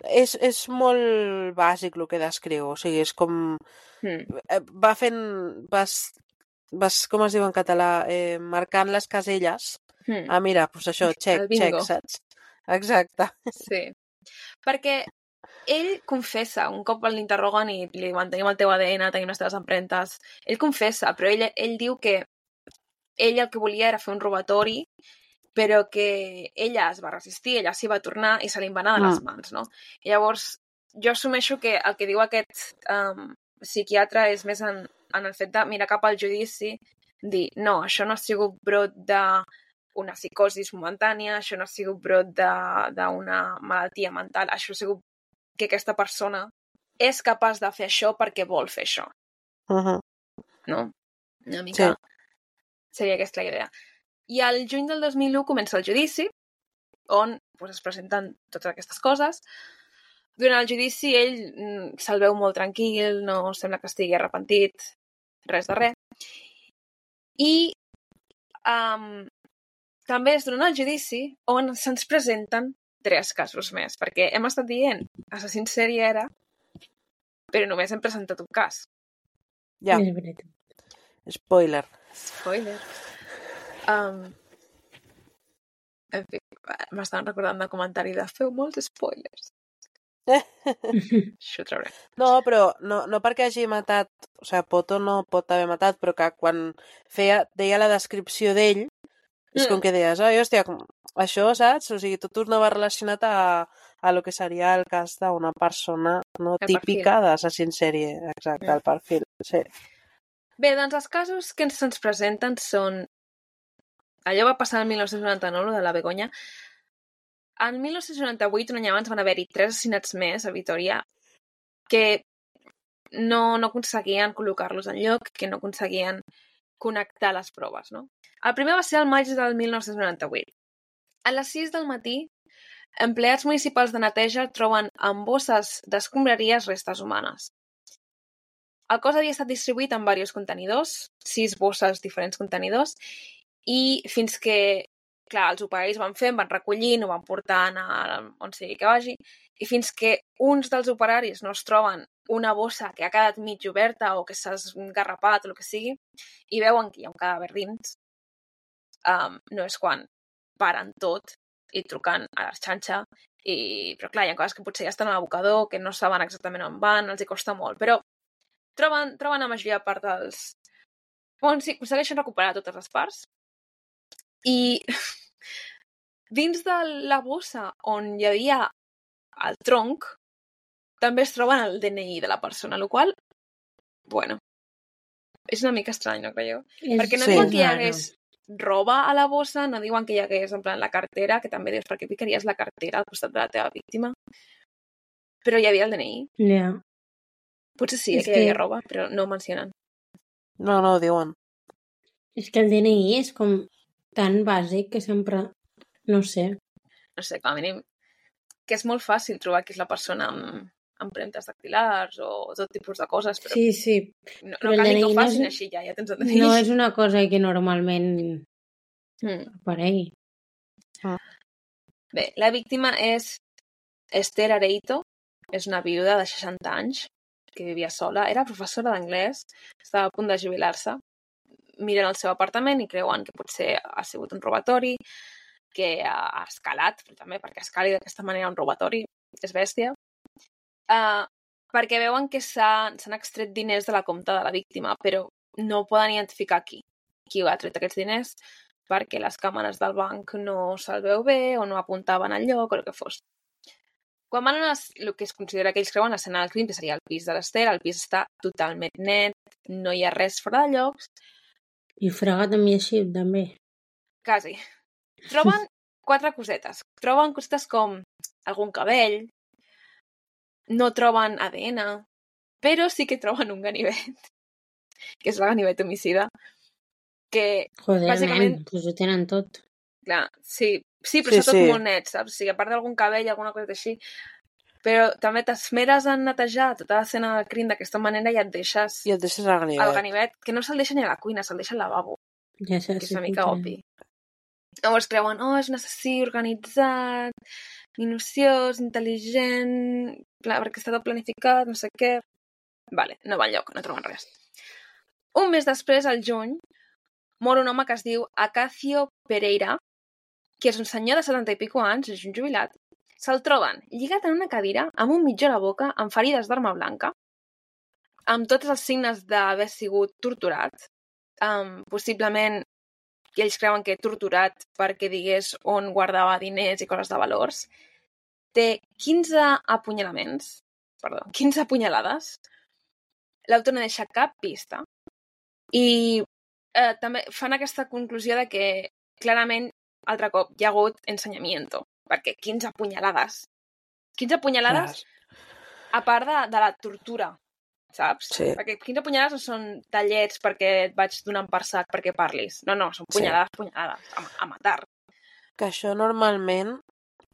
D: És molt bàsic el que descriu, o sigui, és com... Va fent... Vas, com es diu en català? Marcant les caselles. Ah, mira, doncs això, check, saps? Exacte.
A: Sí. Perquè ell confessa, un cop l'interroguen i li diuen tenim el teu ADN, tenim les teves empremtes, ell confessa, però ell diu que ell el que volia era fer un robatori, però que ella es va resistir, ella s'hi va tornar i se li va anar de les mans, no? I llavors, jo assumeixo que el que diu aquest psiquiatre és més en el fet de mirar cap al judici, dir, no, això no ha sigut brot d'una psicosi momentània, això no ha sigut brot d'una malaltia mental, això ha sigut que aquesta persona és capaç de fer això perquè vol fer això. No? Una mica seria aquesta la idea. I al juny del 2001 comença el judici, on es presenten totes aquestes coses. Durant el judici ell se'l veu molt tranquil, no sembla que estigui arrepentit, res de res. I també és durant el judici on se'ns presenten 3 casos més, perquè hem estat dient assassí en sèrie era, però només hem presentat un cas.
D: Ja. Spoiler.
A: En fi, m'estan recordant del comentari de feu molts spoilers. Això ho trauré.
D: No, però no perquè hagi matat, o sigui, Poto no pot haver matat, però que quan deia la descripció d'ell, és com que deies, hòstia, això, saps? O sigui, tot ho anava relacionat a lo que seria el cas d'una persona no típica d'assassí en sèrie. Exacte, el perfil, sí.
A: Bé, doncs els casos que se'ns presenten són... Allò va passar el 1999, de la Begoña. En 1998, un any abans, van haver-hi 3 assassinats més a Vitoria que no aconseguien col·locar-los en lloc, que no aconseguien connectar les proves, no? El primer va ser el maig del 1998. A les 6 del matí, empleats municipals de neteja troben en bosses d'escombraries restes humanes. El cos havia estat distribuït en diversos contenidors, 6 bosses, diferents contenidors, i fins que, clar, els operaris van recollint, ho van portant on sigui que vagi, i fins que uns dels operaris no es troben una bossa que ha quedat mig oberta o que s'ha esgarrapat o el que sigui, i veuen que hi ha un cadàver dins, no és quan paren tot i truquen a l'Arxanxa, però clar, hi ha coses que potser ja estan a l'abocador, que no saben exactament on van, els hi costa molt, però troben la majoria de part dels... Bueno, sí, aconsegueixen recuperar totes les parts. I dins de la bossa on hi havia el tronc, també es troben el DNI de la persona, el qual, bueno, És una mica estrany, no creieu? Perquè no
D: Sí.
A: diuen que hi hagués roba a la bossa, no diuen que hi hagués, en plan, la cartera, que també dius, per què ficaries la cartera al costat de la teva víctima? Però hi havia el DNI.
B: Ja.
A: Potser sí,
B: És
A: que hi havia
B: que-
A: roba, però no ho mencionen.
D: No ho diuen.
B: És que el DNI és com tan bàsic que sempre... No sé.
A: No sé, com a mínim, que és molt fàcil trobar qui és la persona amb empremtes dactilars o tot tipus de coses, però
B: Sí.
A: no
B: però el
A: cal ni que ho
B: DNI no
A: facin
B: és-
A: així, ja tens el DNI.
B: No és una cosa que normalment aparegui.
A: Bé, la víctima és Esther Areito, és una viuda de 60 anys que vivia sola, era professora d'anglès, estava a punt de jubilar-se, miren el seu apartament i creuen que potser ha sigut un robatori, que ha escalat, però també perquè escali d'aquesta manera un robatori, és bèstia, perquè veuen que s'han extret diners de la compta de la víctima, però no poden identificar qui ha tret aquests diners perquè les càmeres del banc no se'l veu bé o no apuntaven al lloc o el que fos. Quan van a el que es considera que ells creuen l'escena del crim, que seria el pis de l'Ester, el pis està totalment net, no hi ha res fora de llocs.
B: I fregat amb així, també.
A: Quasi. Troben 4 cosetes. Troben cosetes com algun cabell, no troben ADN, però sí que troben un ganivet, que és el ganivet homicida, que
B: Joder,
A: bàsicament...
B: nen, doncs ho tenen tot.
A: Clar, sí, però està tot
D: Sí.
A: molt net, saps? O sigui, a part d'algun cabell, alguna cosa així. Però també t'esmeres en netejar tota l'escena del crim d'aquesta manera i et deixes
D: I et deixes el ganivet.
A: el ganivet, que no se'l deixa ni a la cuina, se'l deixa al lavabo,
B: Ja sé,
A: que és una mica obvi. Llavors creuen, és un assassí organitzat, minuciós, intel·ligent, perquè està tot planificat, no sé què... Vale, no va enlloc, no troben res. Un mes després, al juny, mor un home que es diu Acacio Pereira, que és un senyor de 70 i pico anys, és un jubilat. Se'l troben lligat en una cadira, amb un mitjó a la boca, amb ferides d'arma blanca, amb tots els signes d'haver sigut torturat, possiblement ells creuen que torturat perquè digués on guardava diners i coses de valors. Té 15 apunyalaments, 15 apunyalades. L'autor no deixa cap pista. I també fan aquesta conclusió de que clarament, altre cop, hi ha hagut ensenyamiento, perquè 15 apunyalades. 15 apunyalades a part de la tortura, saps?
D: Sí.
A: Perquè 15 punyalades no són tallets perquè et vaig donant per sac perquè parlis. No, són punyalades, a matar.
D: Que això normalment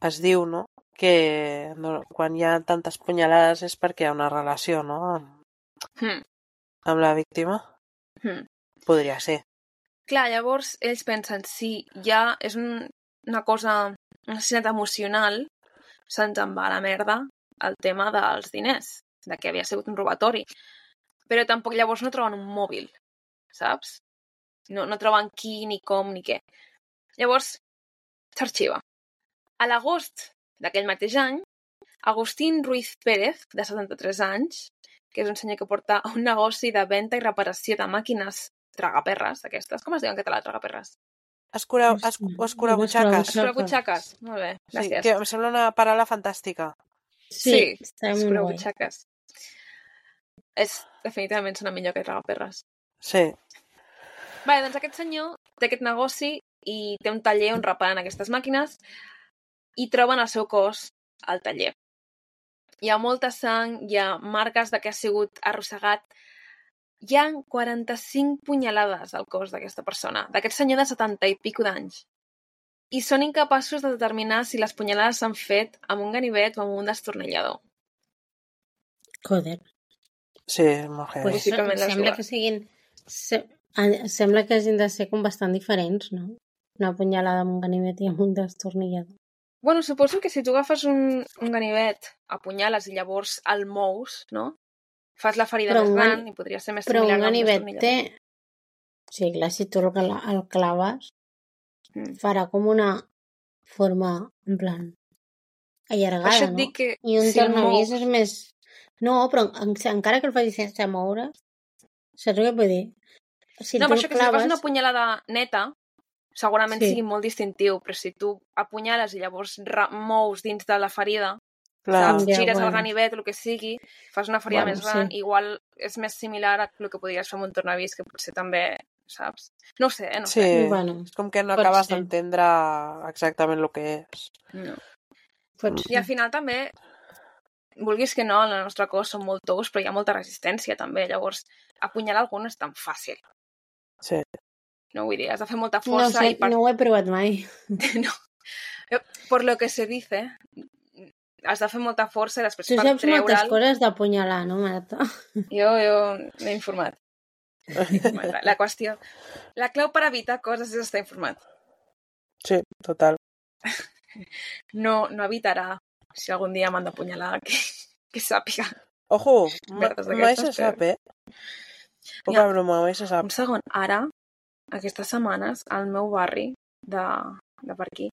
D: es diu, no? Que quan hi ha tantes punyalades és perquè hi ha una relació, no? Amb la víctima. Podria ser.
A: Clar, llavors ells pensen, si ja és una cosa, un assassinat emocional, se'ns en va a la merda el tema dels diners, de que havia sigut un robatori. Però tampoc llavors no troben un mòbil, saps? No troben qui, ni com, ni què. Llavors, s'arxiva. A l'agost d'aquell mateix any, Agustín Ruiz Pérez, de 73 anys, que és un senyor que porta un negoci de venda i reparació de màquines tragaperres, aquestes. Com es diuen en català, tragaperres?
D: Escurabutxaques.
A: Escurabutxaques. Molt bé, gràcies.
D: Sí, que em sembla una paraula fantàstica.
B: Sí, està molt guai.
A: escurabutxaques. Definitivament sona millor que tragaperres.
D: Sí.
A: Vale, doncs aquest senyor té aquest negoci i té un taller on reparen aquestes màquines i troben el seu cos al taller. Hi ha molta sang, hi ha marques de que ha sigut arrossegat. Hi ha 45 punyalades al cos d'aquesta persona, d'aquest senyor de 70 i pico d'anys. I són incapaços de determinar si les punyalades s'han fet amb un ganivet o amb un destornillador.
B: Joder.
D: Sí, molt heavy.
B: Pues
A: Possiblement les
B: sembla
A: dues.
B: que siguin... Sembla que hagin de ser com bastant diferents, no? Una punyalada amb un ganivet i amb un destornillador.
A: Bueno, suposo que si tu agafes un ganivet, apunyales i llavors el mous, no? Fas la ferida
B: Però
A: més
B: un
A: gran i podria ser més
B: Però
A: similar
B: un
A: a
B: ganivet
A: destornillador.
B: té... Sí, clar, si tu el claves, farà com una forma, en plan, allargada,
A: Per això et
B: no?
A: dic que
B: I un
A: si el
B: tornavís
A: mous...
B: és més... No, però encara que el facis sense moure, saps què vull dir? Si
A: No,
B: tu
A: per això
B: el
A: que si fas
B: claves...
A: una punyalada neta, segurament
B: Sí.
A: sigui molt distintiu, però si tu apunyales i llavors mous dins de la ferida,
D: Clar.
A: saps?
B: Ja,
A: Gires el
B: bueno.
A: ganivet, el que sigui, fas una ferida
B: Bueno,
A: més gran,
B: sí.
A: igual és més similar a el que podries fer amb un tornavís, que potser també, saps? No ho sé, no ho
D: Sí,
A: sé.
B: Bueno,
D: és com que no
B: pot
D: acabes
B: ser.
D: d'entendre exactament el que és.
A: No.
B: Pot
A: I al
B: ser.
A: final també, vulguis que no, en el nostre cos som molt tous, però hi ha molta resistència també, llavors apunyalar algú no és tan fàcil.
D: Sí.
A: No vull dir, has de fer molta
B: No
A: força
B: sé,
A: i per...
B: no ho he provat mai.
A: no. Por lo que se dice, has de fer molta força i després
B: Tu
A: per
B: saps moltes
A: treure'l...
B: coses d'apunyalar, no, Marta?
A: Jo m'he informat. La qüestió... La clau per evitar coses és estar informat.
D: Sí, total.
A: No evitarà, si algun dia m'han d'apunyalar, que sàpiga.
D: Ojo,
A: Merdes
D: mai
A: d'aquestes,
D: se sap, Poca
A: Mira,
D: broma, mai se sap.
A: un segon, ara, aquestes setmanes, al meu barri de per aquí,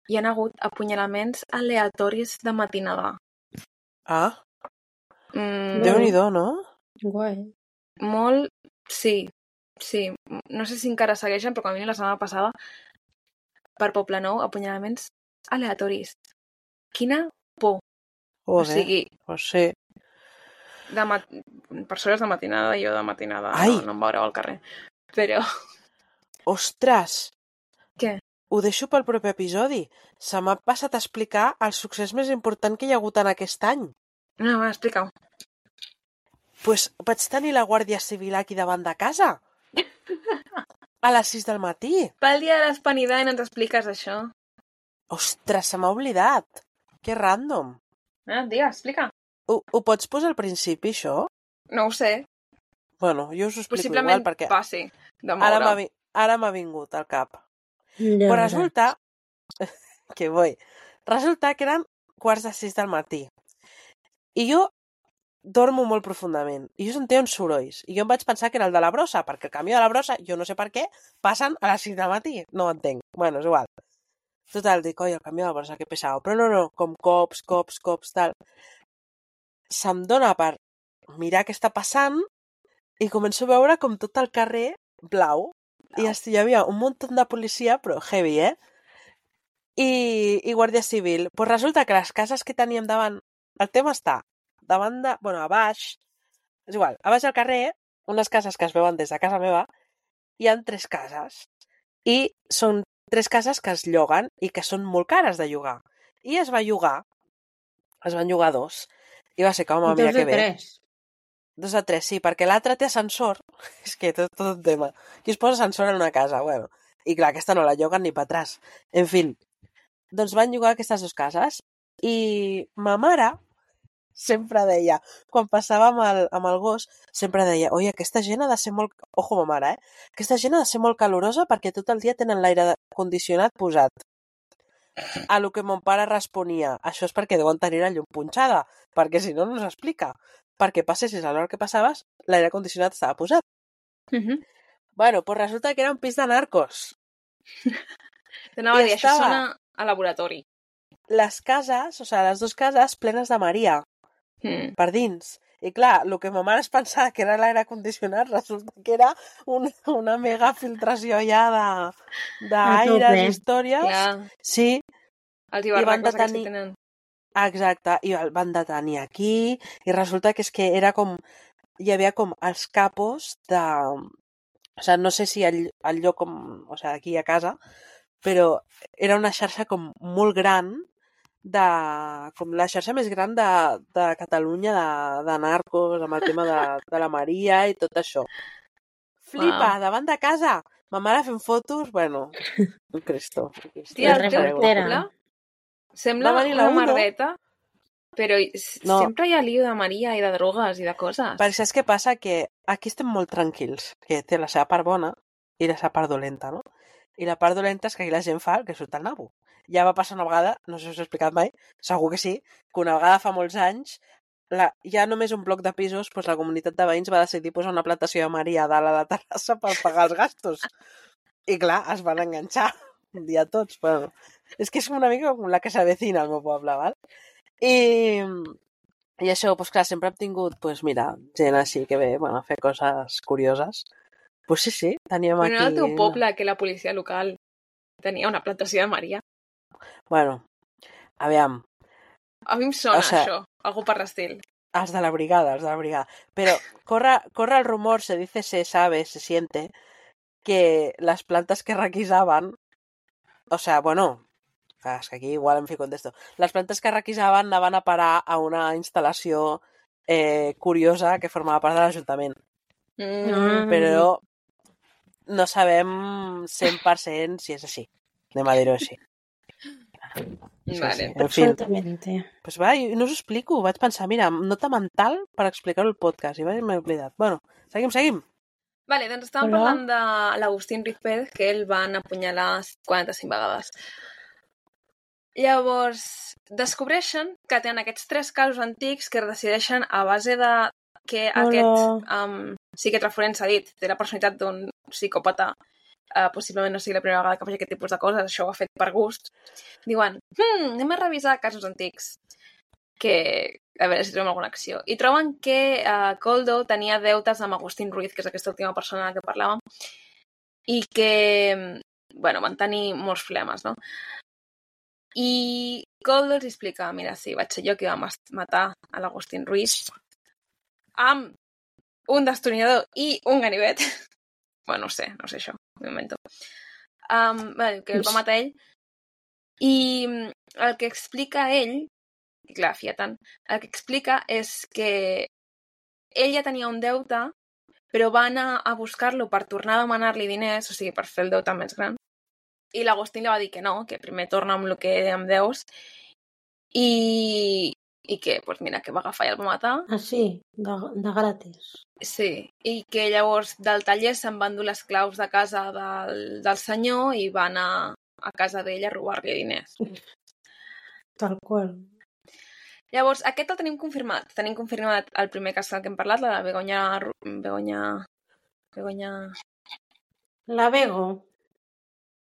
A: hi ha hagut apunyalaments aleatoris de matinada.
D: Ah,
A: Mm,
D: Déu-n'hi-do, no?
B: Guai.
A: molt, sí. No sé si encara segueixen, però com a mínim la setmana passada, per Poblenou, apunyalaments aleatoris. Quina por. O
D: Joder,
A: sigui,
D: pues sí.
A: per sort és de matinada, jo de matinada
D: Ai!
A: no em veureu al carrer. Però,
D: Ostres,
A: què?
D: ho deixo pel proper episodi. Se m'ha passat a explicar el succés més important que hi ha hagut en aquest any.
A: No, va, explica-ho.
D: Pues vaig tenir la Guàrdia Civil aquí davant de casa. A les 6 del matí.
A: Pel dia de l'Hispanidad i no ens expliques això.
D: Ostres, se m'ha oblidat. Que random.
A: Digues, explica.
D: Ho pots posar al principi, això?
A: No ho sé.
D: Bueno, jo us ho explico
A: Possiblement
D: igual, perquè
A: passi de
D: ara
A: moure.
D: m'ha vingut al cap.
B: Ja
D: Però
B: veuràs.
D: resulta... que vull. Resulta que eren 5:45 del matí. I jo dormo molt profundament. I jo sentia uns sorolls. I jo em vaig pensar que era el de la brossa, perquè el camió de la brossa, jo no sé per què, passen a les 6 del matí. No ho entenc. Bueno, és igual. Total, dic, oi, el camió de la brossa, que pesado. Però no, com cops, tal. Se'm dona per mirar què està passant i començo a veure com tot el carrer blau. I hi havia un munt de policia, però heavy, I Guàrdia Civil. Pues resulta que les cases que teníem davant... El tema està davant de... Bueno, a baix... És igual, a baix del carrer, unes cases que es veuen des de casa meva, hi han 3 cases. I són 3 cases que es lloguen i que són molt cares de llogar. I es van llogar 2. I va ser com, mira que bé. 2 de 3, sí, perquè l'altre té ascensor. És que tot un tema. Qui es posa ascensor en una casa? Bueno, i clar, aquesta no la lloguen ni per atràs. En fi, doncs van llogar aquestes 2 cases i ma mare sempre deia, quan passava amb el gos, sempre deia, oi, aquesta gent ha de ser molt... Ojo, ma mare, aquesta gent ha de ser molt calorosa perquè tot el dia tenen l'aire condicionat posat. A lo que mon pare responia, això és perquè deuen tenir la llum punxada, perquè si no, no s'explica. Perquè passessis a l'hora que passaves, l'aire condicionat estava posat. Bueno, pues resulta que era un pis de narcos.
A: T'anava a dir, això sona a laboratori.
D: Les cases, o sigui, les 2 cases plenes de Maria, per dins. I clar, el que ma mare es pensava que era l'aire condicionat resulta que era una mega filtració ja d'aires, històries.
A: Clar.
D: Sí.
A: Els ibarracos aquests que tenen.
D: Exacte, i el van detenir aquí i resulta que és que era com... Hi havia com els capos de... O sigui, no sé si el lloc com... O sigui, aquí a casa, però era una xarxa com molt gran com la xarxa més gran de Catalunya de narcos, amb el tema de la Maria i tot això. Flipa, davant de casa! Ma mare fent fotos, bueno, un Cristo.
A: Tia, el teu poble sembla una merdeta, però sempre hi ha lío de Maria i de drogues i de coses.
D: Perquè saps què passa? Que aquí estem molt tranquils, que té la seva part bona i la seva part dolenta, no? I la part dolenta és que aquí la gent fa el que surt al nabo. Ja va passar una vegada, no sé si us he explicat mai, segur que sí, que una vegada fa molts anys hi ha només un bloc de pisos, doncs la comunitat de veïns va decidir posar una plantació de Maria a dalt a la terrassa per pagar els gastos. I clar, es van enganxar un dia tots. Bueno, és que és una mica com la que s'avecina al meu poble, val? I això, doncs clar, sempre hem tingut, doncs mira, gent així que ve, bueno, a fer coses curioses. Pues sí, teníem aquí...
A: Però no era el teu poble que la policia local tenia una plantació de Maria?
D: Bueno, aviam,
A: A mi em sona
D: O sea,
A: això, algú per l'estil.
D: Els de la brigada. Pero corre el rumor, se dice, se sabe, se siente, que las plantas que requisaban, o sea, bueno, es que aquí igual em fico en esto, les plantes que requisaven anaven a parar a una instal·lació curiosa que formava part de l'Ajuntament. Però no sabem 100% si és així. Anem a dir-ho així.
A: Vale.
D: En fin,
B: Absolutamente.
D: pues va, jo no us ho explico. Vaig pensar, mira, nota mental per explicar-ho al podcast. I m'he oblidat. Bueno, seguim.
A: Vale, doncs estàvem
B: Hola.
A: parlant de l'Agustín Ruiz Pérez, que el van apunyalar 45 vegades. Llavors, descobreixen que tenen aquests 3 casos antics que es decideixen a base de que aquest psiquiatre forense ha dit té la personalitat d'un psicòpata, possiblement no sigui la primera vegada que faci aquest tipus de coses, això ho ha fet per gust. Diuen, anem a revisar casos antics, que a veure si trobem alguna acció. I troben que Koldo tenia deutes amb Agustín Ruiz, que és aquesta última persona de la que parlàvem, i que, bueno, van tenir molts problemes, no? I Koldo els explica, mira, sí, vaig ser jo que va matar a l'Agustín Ruiz amb un destornillador i un ganivet. Bueno, no sé això, m'ho invento. Que el va matar ell. I el que explica ell, i clar, fia tant, el que explica és que ell ja tenia un deute, però va anar a buscar-lo per tornar a demanar-li diners, o sigui, per fer el deute més gran. I l'Agustín li va dir que no, que primer torna amb el que em deus, i que, doncs mira, que va agafar i el va matar.
B: Ah, sí, de gratis.
A: Sí, i que llavors del taller se'n van dur les claus de casa del senyor i va anar a casa d'ell a robar-li diners.
B: Tal qual.
A: Llavors, aquest el tenim confirmat. Tenim confirmat el primer cas del que hem parlat, la de Begoña
B: La Bego.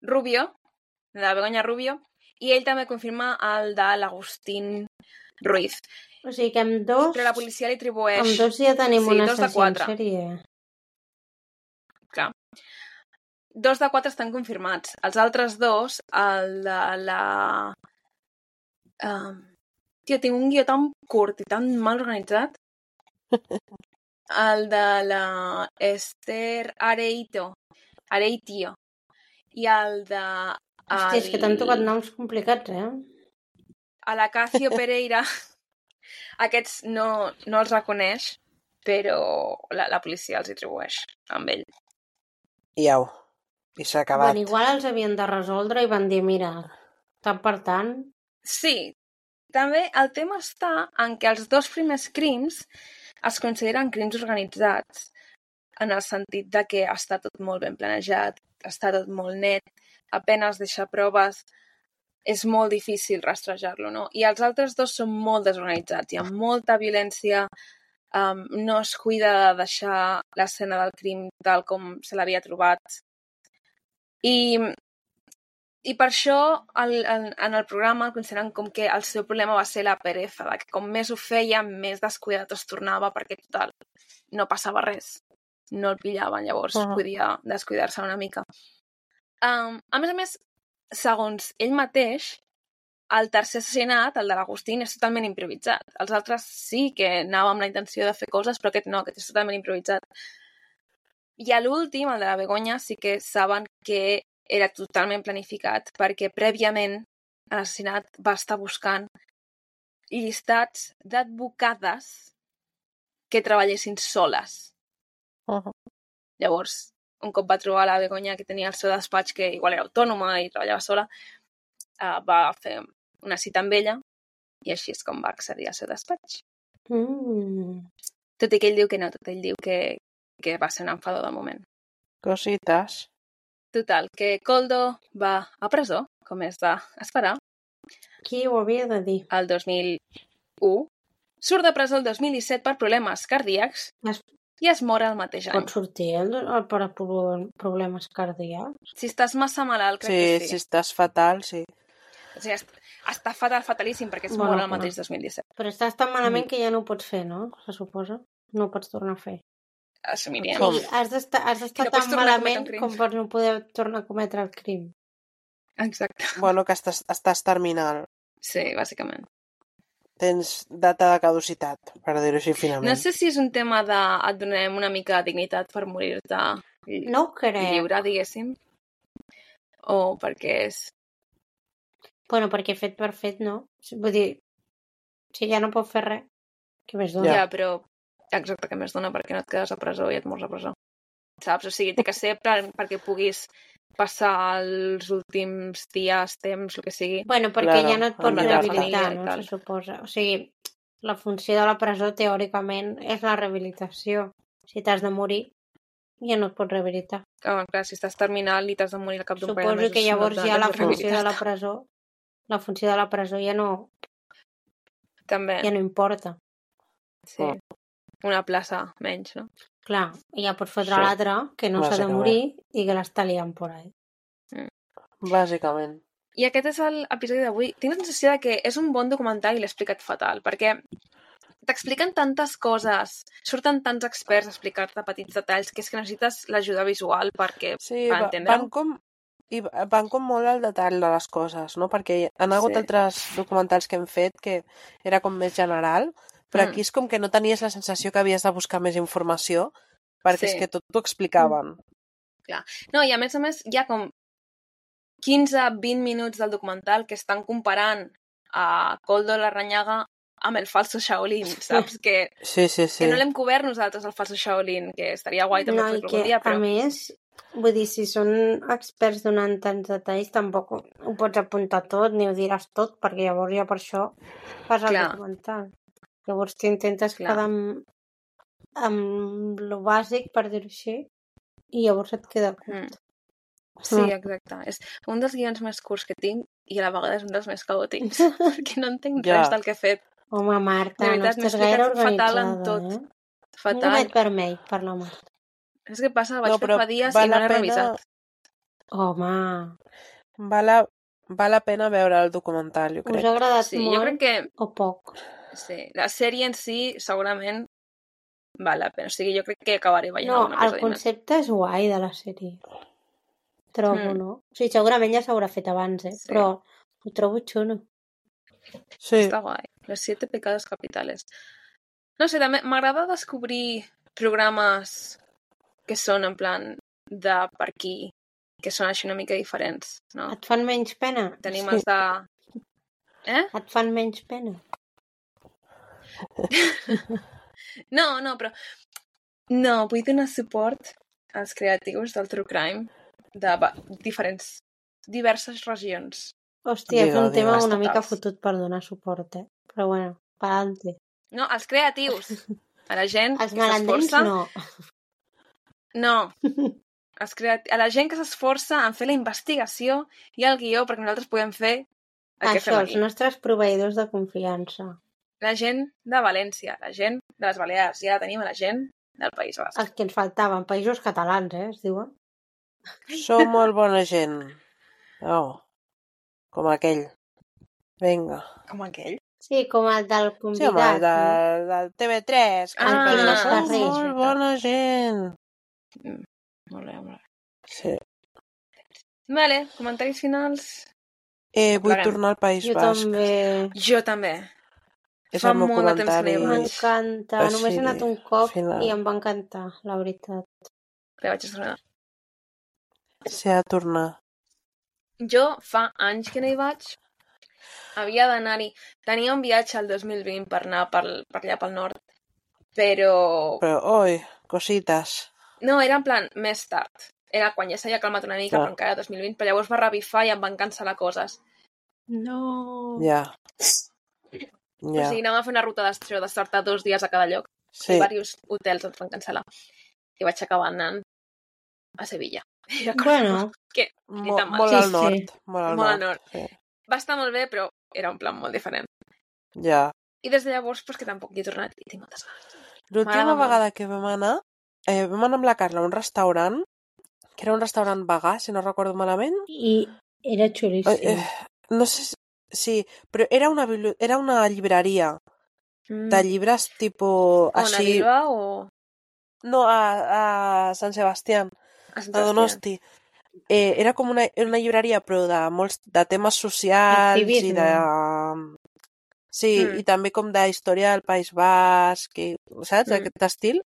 A: Rubio, la de Begoña Rubio, i ell també confirma el de l'Agustín Ruiz.
B: O sigui que amb dos...
A: Però la policia li atribueix...
B: Amb dos ja tenim un
A: 2 de
B: assassí
A: 4.
B: en sèrie.
A: Clar. 2 de 4 estan confirmats. Els altres 2, el de la... Tio, tinc un guió tan curt i tan mal organitzat. El de la Esther Areitio. I el de...
B: Hòstia, és que t'han tocat noms complicats,
A: A l'Acacio Pereira, aquests no els reconeix, però la policia els atribueix amb ell.
D: I au. I s'ha acabat.
B: Bueno, igual els havien de resoldre i van dir, mira, tant per tant...
A: Sí, també el tema està en que els 2 primers crims es consideren crims organitzats, en el sentit de que està tot molt ben planejat, està tot molt net, apenas deixa proves, és molt difícil rastrejar-lo, no? I els altres 2 són molt desorganitzats, hi ha molta violència, no es cuida de deixar l'escena del crim tal com se l'havia trobat. I per això en el programa el consideren com que el seu problema va ser la pereza, que com més ho feia, més descuidat es tornava, perquè total, no passava res. No el pillaven, llavors podia descuidar-se una mica. A més, segons ell mateix, el tercer assassinat, el de l'Agustín, és totalment improvisat. Els altres sí que anava amb la intenció de fer coses, però aquest no, aquest és totalment improvisat. I a l'últim, el de la Begoña, sí que saben que era totalment planificat, perquè prèviament l'assassinat va estar buscant llistats d'advocades que treballessin soles. Llavors, un cop va trobar la Begoña, que tenia el seu despatx, que igual era autònoma i treballava sola, va fer una cita amb ella i així és com va accedir al seu despatx. Tot i que ell diu que no, ell diu que va ser un enfador del moment.
D: Cositas.
A: Total, que Koldo va a presó, com és d'esperar.
B: Qui ho havia de dir?
A: El 2001. Surt de presó el 2017 per problemes cardíacs i es mor el mateix any.
B: Pot sortir per problemes cardíacs?
A: Si estàs massa malalt, crec que sí.
D: Si estàs fatal, sí.
A: O sigui, està fatalíssim perquè es mor el mateix 2017.
B: Però estàs tan malament que ja no ho pots fer, no? Se suposa. No ho pots tornar a fer.
A: Assumiríem.
B: Sí, has d'estar tan malament com per no poder tornar a cometre el crim.
A: Exacte.
D: Bueno, que estàs terminal.
A: Sí, bàsicament.
D: tens data de caducitat, per dir-ho així finament.
A: No sé si és un tema de et donarem una mica de dignitat per morir-te
B: No ho crec.
A: lliure, diguéssim. O perquè és...
B: Bueno, perquè fet per fet, no? Vull dir, si ja no pot fer res, què més dona?
A: Ja, però... Exacte, que més dona perquè no et quedes a presó i et mors a presó. Saps? O sigui, té que ser perquè puguis passar els últims dies, temps, el que sigui.
B: Bueno, perquè
D: Claro,
B: ja no et pot
D: amb la
B: rehabilitar,
A: família i
B: no?
A: tal.
B: Se suposa. O sigui, la funció de la presó, teòricament, és la rehabilitació. Si t'has de morir, ja no et pots rehabilitar.
A: Clar, si estàs terminal i t'has de morir al cap d'un parell de
B: Suposo
A: mesos...
B: que llavors
A: no et
B: ja la
A: has
B: funció de la
A: rehabilitat.
B: presó, la funció de la presó ja no
A: També,
B: importa.
A: sí. Una plaça menys, no?
B: Clar, i ja pots fotre
D: Sí.
B: l'altre, que no s'ha de
D: Bàsicament.
B: morir i que l'està liant por ahí.
D: Bàsicament.
A: I aquest és l'episodi d'avui. Tinc la sensació de que és un bon documental i l'he explicat fatal, perquè t'expliquen tantes coses, surten tants experts a explicar-te petits detalls, que és que necessites l'ajuda visual per entendre-ho.
D: Van com molt al detall de les coses, no? Perquè han hagut
A: Sí.
D: altres documentals que hem fet que era com més general, però aquí és com que no tenies la sensació que havies de buscar més informació, perquè
A: Sí.
D: és que tot t'ho explicaven.
A: No, i a més, hi ha com 15-20 minuts del documental que estan comparant a Koldo Larrañaga amb el falso Shaolin, saps? Que
D: Sí.
A: no l'hem cobert nosaltres, el falso Shaolin, que estaria guai també
B: No, i
A: fer-lo
B: que,
A: algun dia, però...
B: a més, vull dir, si són experts donant tants detalls, tampoc ho pots apuntar tot, ni ho diràs tot, perquè llavors ja per això fas el
A: Clar.
B: documental. Llavors t'intentes
A: Clar.
B: quedar amb lo bàsic, per dir-ho així, i llavors et queda curt.
A: Sí, exacte. És un dels guions més curts que tinc i a la vegada és un dels més caòtics, perquè no entenc
D: Ja.
A: res del que he fet.
B: Home, Marta,
A: De veritat,
B: no
A: m'he
B: estàs gaire
A: explicat fatal en
B: organitzada,
A: tot.
B: Un
A: Fatal.
B: gomet vermell, per la Marta.
A: És que passa, el vaig
D: No,
A: fer
D: però
A: fa dies
D: val
A: i no
D: la
A: l'he
D: pena-
A: revisat.
B: Home,
D: Val la pena veure el documental, jo
B: us
D: crec.
B: ha agradat
A: Sí,
B: molt
A: jo crec que
B: o poc?
A: sí, la sèrie en si segurament val la pena. O sigui, jo crec que acabaré veient
B: No,
A: algun
B: el
A: episodi més.
B: concepte és guai de la sèrie. Trobo, no? O sigui, segurament ja s'haurà fet abans,
A: Sí.
B: però ho trobo xulo.
D: Sí,
A: Està guai. Los 7 pecados capitales. No sé, també m'agrada descobrir programes que són en plan de per aquí, que són així una mica diferents, no?
B: Et fan menys pena?
A: Tenim els de...
B: Et fan menys pena?
A: No, però... No, vull donar suport als creatius del True Crime de diverses regions.
B: Hòstia, és un
D: Digue-ho,
B: tema
D: digue-ho.
B: una mica
A: Estatals.
B: fotut per donar suport, Però bueno, pa'lante.
A: No, als creatius. A la gent
B: Els
A: que
B: malandrins
A: s'esforça...
B: no.
A: No. A la gent que s'esforça en fer la investigació i el guió perquè nosaltres podem fer el que
B: Això,
A: fem
B: els
A: aquí.
B: nostres proveïdors de confiança.
A: La gent de València, la gent de les Balears, i ara tenim a la gent del País Basc.
B: Els que ens faltaven, països catalans, es diuen.
D: sou molt bona gent. Oh, com aquell. Vinga.
A: Com aquell.
B: Sí, com el del
D: Sí, home,
B: convidat,
D: del TV3. Que
A: Ah,
D: diu,
A: no
D: sou
B: carrer.
D: molt bona gent.
A: Molt bé.
D: Sí.
A: Vale, comentaris finals.
D: Vull
A: Pleguem.
D: tornar al País
B: Jo
D: Basc.
B: també.
A: Jo també.
D: És
A: Fa
D: el meu
A: molt de temps que no
D: comentari.
A: hi vaig.
B: M'encanta.
D: Així,
B: Només he anat un cop
D: final.
B: i em va encantar, la veritat.
A: Que vaig estrenar.
D: Sí, a tornar.
A: Jo fa anys que no hi vaig. Havia d'anar-hi. Tenia un viatge al 2020 per anar per allà pel nord. Però...
D: Però, oi, cosites.
A: No, era en plan més tard. Era quan ja s'havia calmat una mica,
D: Clar.
A: però encara 2020. Però llavors va revifar i em van cancel·lar coses.
B: No.
D: Ja.
A: O
D: Ja.
A: sigui, anàvem a fer una ruta d'estar 2 dies a cada lloc.
D: Sí.
A: I diversos hotels ens van cancel·lar. I vaig acabar anant a Sevilla. I
B: Bueno,
A: que ni tan mal.
D: Molt
B: Sí,
D: al
B: sí.
D: nord. Molt al
A: Molt al
D: nord.
A: nord.
D: Sí.
A: Va estar molt bé, però era un plan molt diferent.
D: Ja.
A: I des de llavors, pues, que tampoc hi he tornat i tinc moltes ganes.
D: L'última
A: M'agrada molt.
D: vegada que vam anar amb la Carla a un restaurant, que era un restaurant vegà, si no recordo malament.
B: i era xulíssim.
D: No sé si... Sí, però era una llibreria de llibres tipus...
A: On, a
D: així...
A: Bilbao o
D: No, a Sant Sebastián,
A: a Sant
D: a Donosti. Era com una llibreria, però de molts de temes socials i
B: Activisme.
D: de... Sí, i també com de història del País Basc, i, saps? Aquest estil.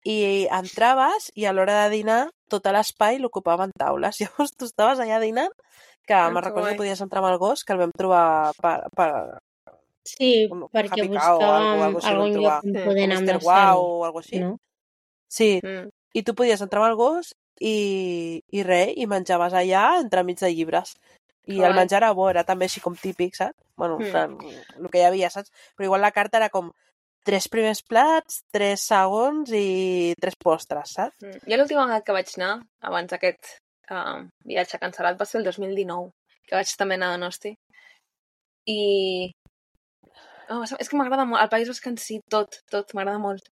D: I entraves i a l'hora de dinar tot l'espai l'ocupaven taules. Llavors tu estaves allà dinant, que me'n recordo que podies entrar amb el gos, que el vam trobar
B: Sí, perquè buscàvem algun lloc on poder anar amb la Sally.
D: O algo així.
B: No?
D: Sí, i tu podies entrar amb el gos i res, i menjaves allà entremig de llibres. I el menjar era bo, era també així com típic, saps? Bueno, el que hi havia, saps? Però igual la carta era com 3 primers plats, 3 segons i 3 postres, saps?
A: Jo l'última vegada que vaig anar, abans d'aquest viatge cancel·lat, va ser el 2019, que vaig també anar a Donosti. I... és que m'agrada molt, el País Basc en si, tot, m'agrada molt.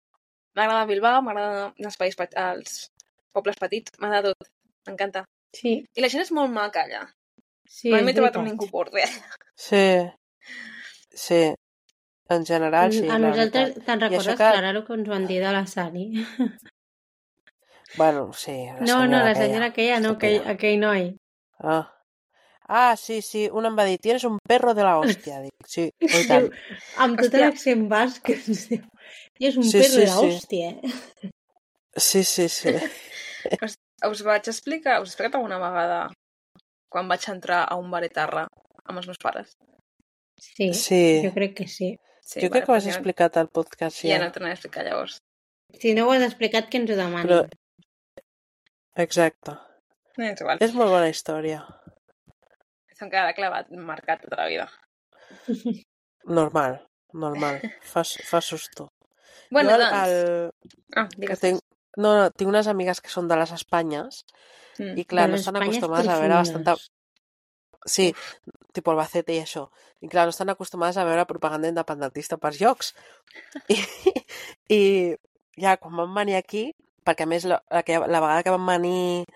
A: M'agrada Bilbao, m'agrada els pobles petits, m'agrada tot, m'encanta.
B: Sí.
A: I la gent és molt maca allà.
B: Sí,
A: mai m'he trobat amb ningú borde.
D: Sí, en general sí.
B: A nosaltres, te'n recordes, Clara, el que ens van dir de la Sally?
D: Bueno, sí.
B: La senyora aquella, no, aquell noi.
D: Sí, un em va dir, tienes un perro de la hòstia. Dic, sí, i tant.
B: Amb tot l'accent basc, és un perro de la hòstia.
D: Sí.
A: Us vaig explicar, us he explicat alguna vegada quan vaig entrar a un bar etarra amb els meus pares?
B: Sí, jo crec que sí.
D: Jo crec que ho has explicat al podcast.
A: Ja no t'ho he explicat llavors.
B: Si no ho has explicat, que ens ho demanin.
D: Exacte.
A: És igual.
D: És molt bona història.
A: Se'm quedarà clavat, marcat tota la vida.
D: Normal. Fa susto.
A: Bueno, doncs... digues.
D: Tinc unes amigues que són de les Espanyes i clar, no estan acostumades a veure bastanta... Sí, tipus Albacete i això. I clar, no estan acostumades a veure propaganda independentista per llocs. I ja, quan vam venir aquí, perquè a més la vegada que vam venir,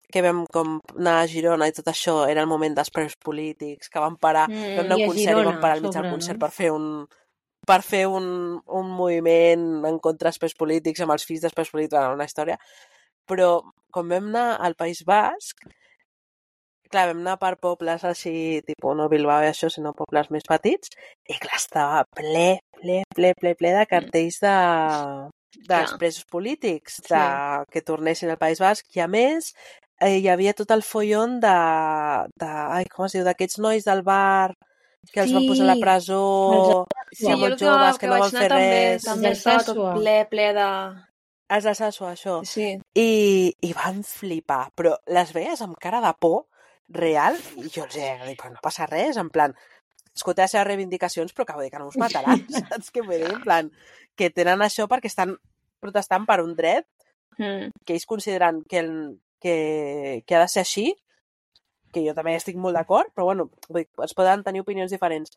D: que vam com anar a Girona i tot això, era el moment dels preus polítics, que vam parar, vam anar a un concert i vam parar al mig del concert per fer un moviment en contra dels preus polítics, amb els fills dels preus polítics, una història. Però quan vam anar al País Basc, clar, vam anar per pobles així, tipus no Bilbao i això, sinó pobles més petits, i clar, estava ple de cartells dels presos polítics, que tornessin al País Basc, i a més hi havia tot el follon com es diu, d'aquests nois del bar que els van posar a la presó, molt joves, que no van fer res.
A: També estava tot ple de...
D: Els de Sassua, això.
A: Sí.
D: I van flipar, però les veies amb cara de por real, i jo els dic, però no passa res, en plan, escolta les seves reivindicacions, però que vull dir que no us mataran, saps què vull dir? En plan, que tenen això perquè estan protestant per un dret que ells consideren que ha de ser així, que jo també estic molt d'acord, però bueno, es poden tenir opinions diferents.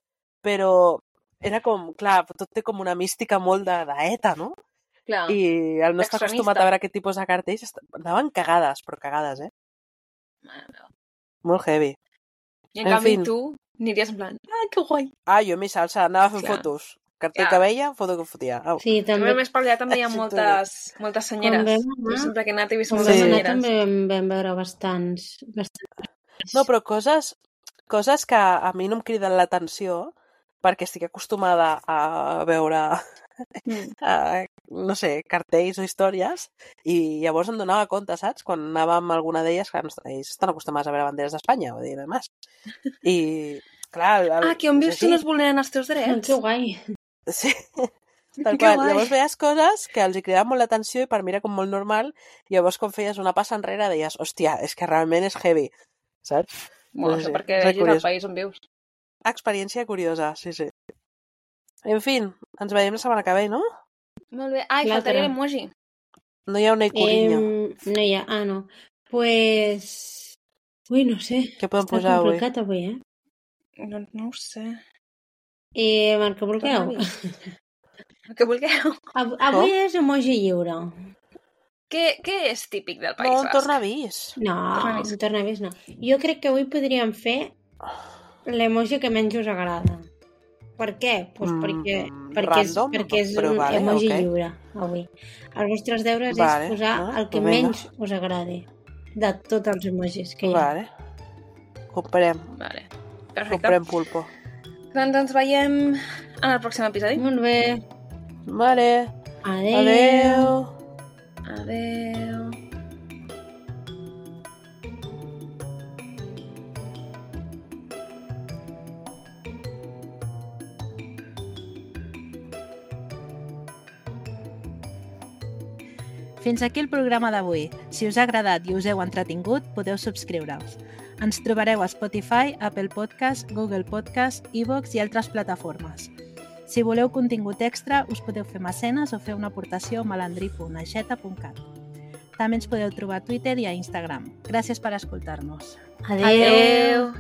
D: Però era com, clar, tot té com una mística molt d'ETA, no?
A: Clar.
D: I el no està acostumat a veure aquest tipus de cartells, anaven cagades, però cagades, Molt heavy.
A: I en canvi tu aniries en plan, que guai.
D: Jo a mi salsa, anava fent fotos. Cartell que veia, foto que fotia.
B: Sí, també.
A: Més per allà també hi ha moltes senyeres. Sempre que he anat he vist moltes senyeres.
B: També vam veure bastants.
D: No, però coses que a mi no em criden l'atenció perquè estic acostumada a veure no sé, cartells o històries, i llavors em donava compte, saps? Quan anàvem a alguna d'elles, clar, ells estan acostumats a veure banderes d'Espanya, vull dir, no més. I, clar...
A: que on vius tu no es vulneren els teus drets?
B: Que guai.
D: Sí, tal qual. Llavors veies coses que els hi cridaven molt l'atenció i per mi era com molt normal, i llavors quan feies una passa enrere deies, hòstia, és que realment és heavy, saps?
A: Bueno, no sé, perquè vegis el país on vius.
D: Experiència curiosa, sí. En fi, ens veiem la setmana que ve, no?
A: Molt bé. Faltaria l'emoji.
D: No hi ha una icurrinya.
B: No hi ha, no. Pues... Ui, no sé.
D: Què podem posar avui?
B: Està complicat avui,
A: No ho sé.
B: El que vulgueu.
A: El que vulgueu.
B: Avui és emoji lliure.
A: Què és típic del País
D: Basc?
A: No,
D: un tornavís.
B: No, un tornavís no. Jo crec que avui podríem fer l'emoji que menys us agrada. Per què? Pues perquè és un emoji lliure avui. Els vostres deures és posar el que menys us agradi de tots els emojis que hi ha.
D: Comprem.
A: Perfecte.
D: Comprem pulpo.
A: Doncs ens veiem en el pròxim episodi.
B: Molt bé.
D: Vale.
B: Adéu.
A: Adéu.
C: Fins aquí el programa d'avui. Si us ha agradat i us heu entretingut, podeu subscriure-us. Ens trobareu a Spotify, Apple Podcast, Google Podcast, iVoox i altres plataformes. Si voleu contingut extra, us podeu fer mecenes o fer una aportació a malandri.aixeta.cat. També ens podeu trobar a Twitter i a Instagram. Gràcies per escoltar-nos.
B: Adéu.
A: Adéu.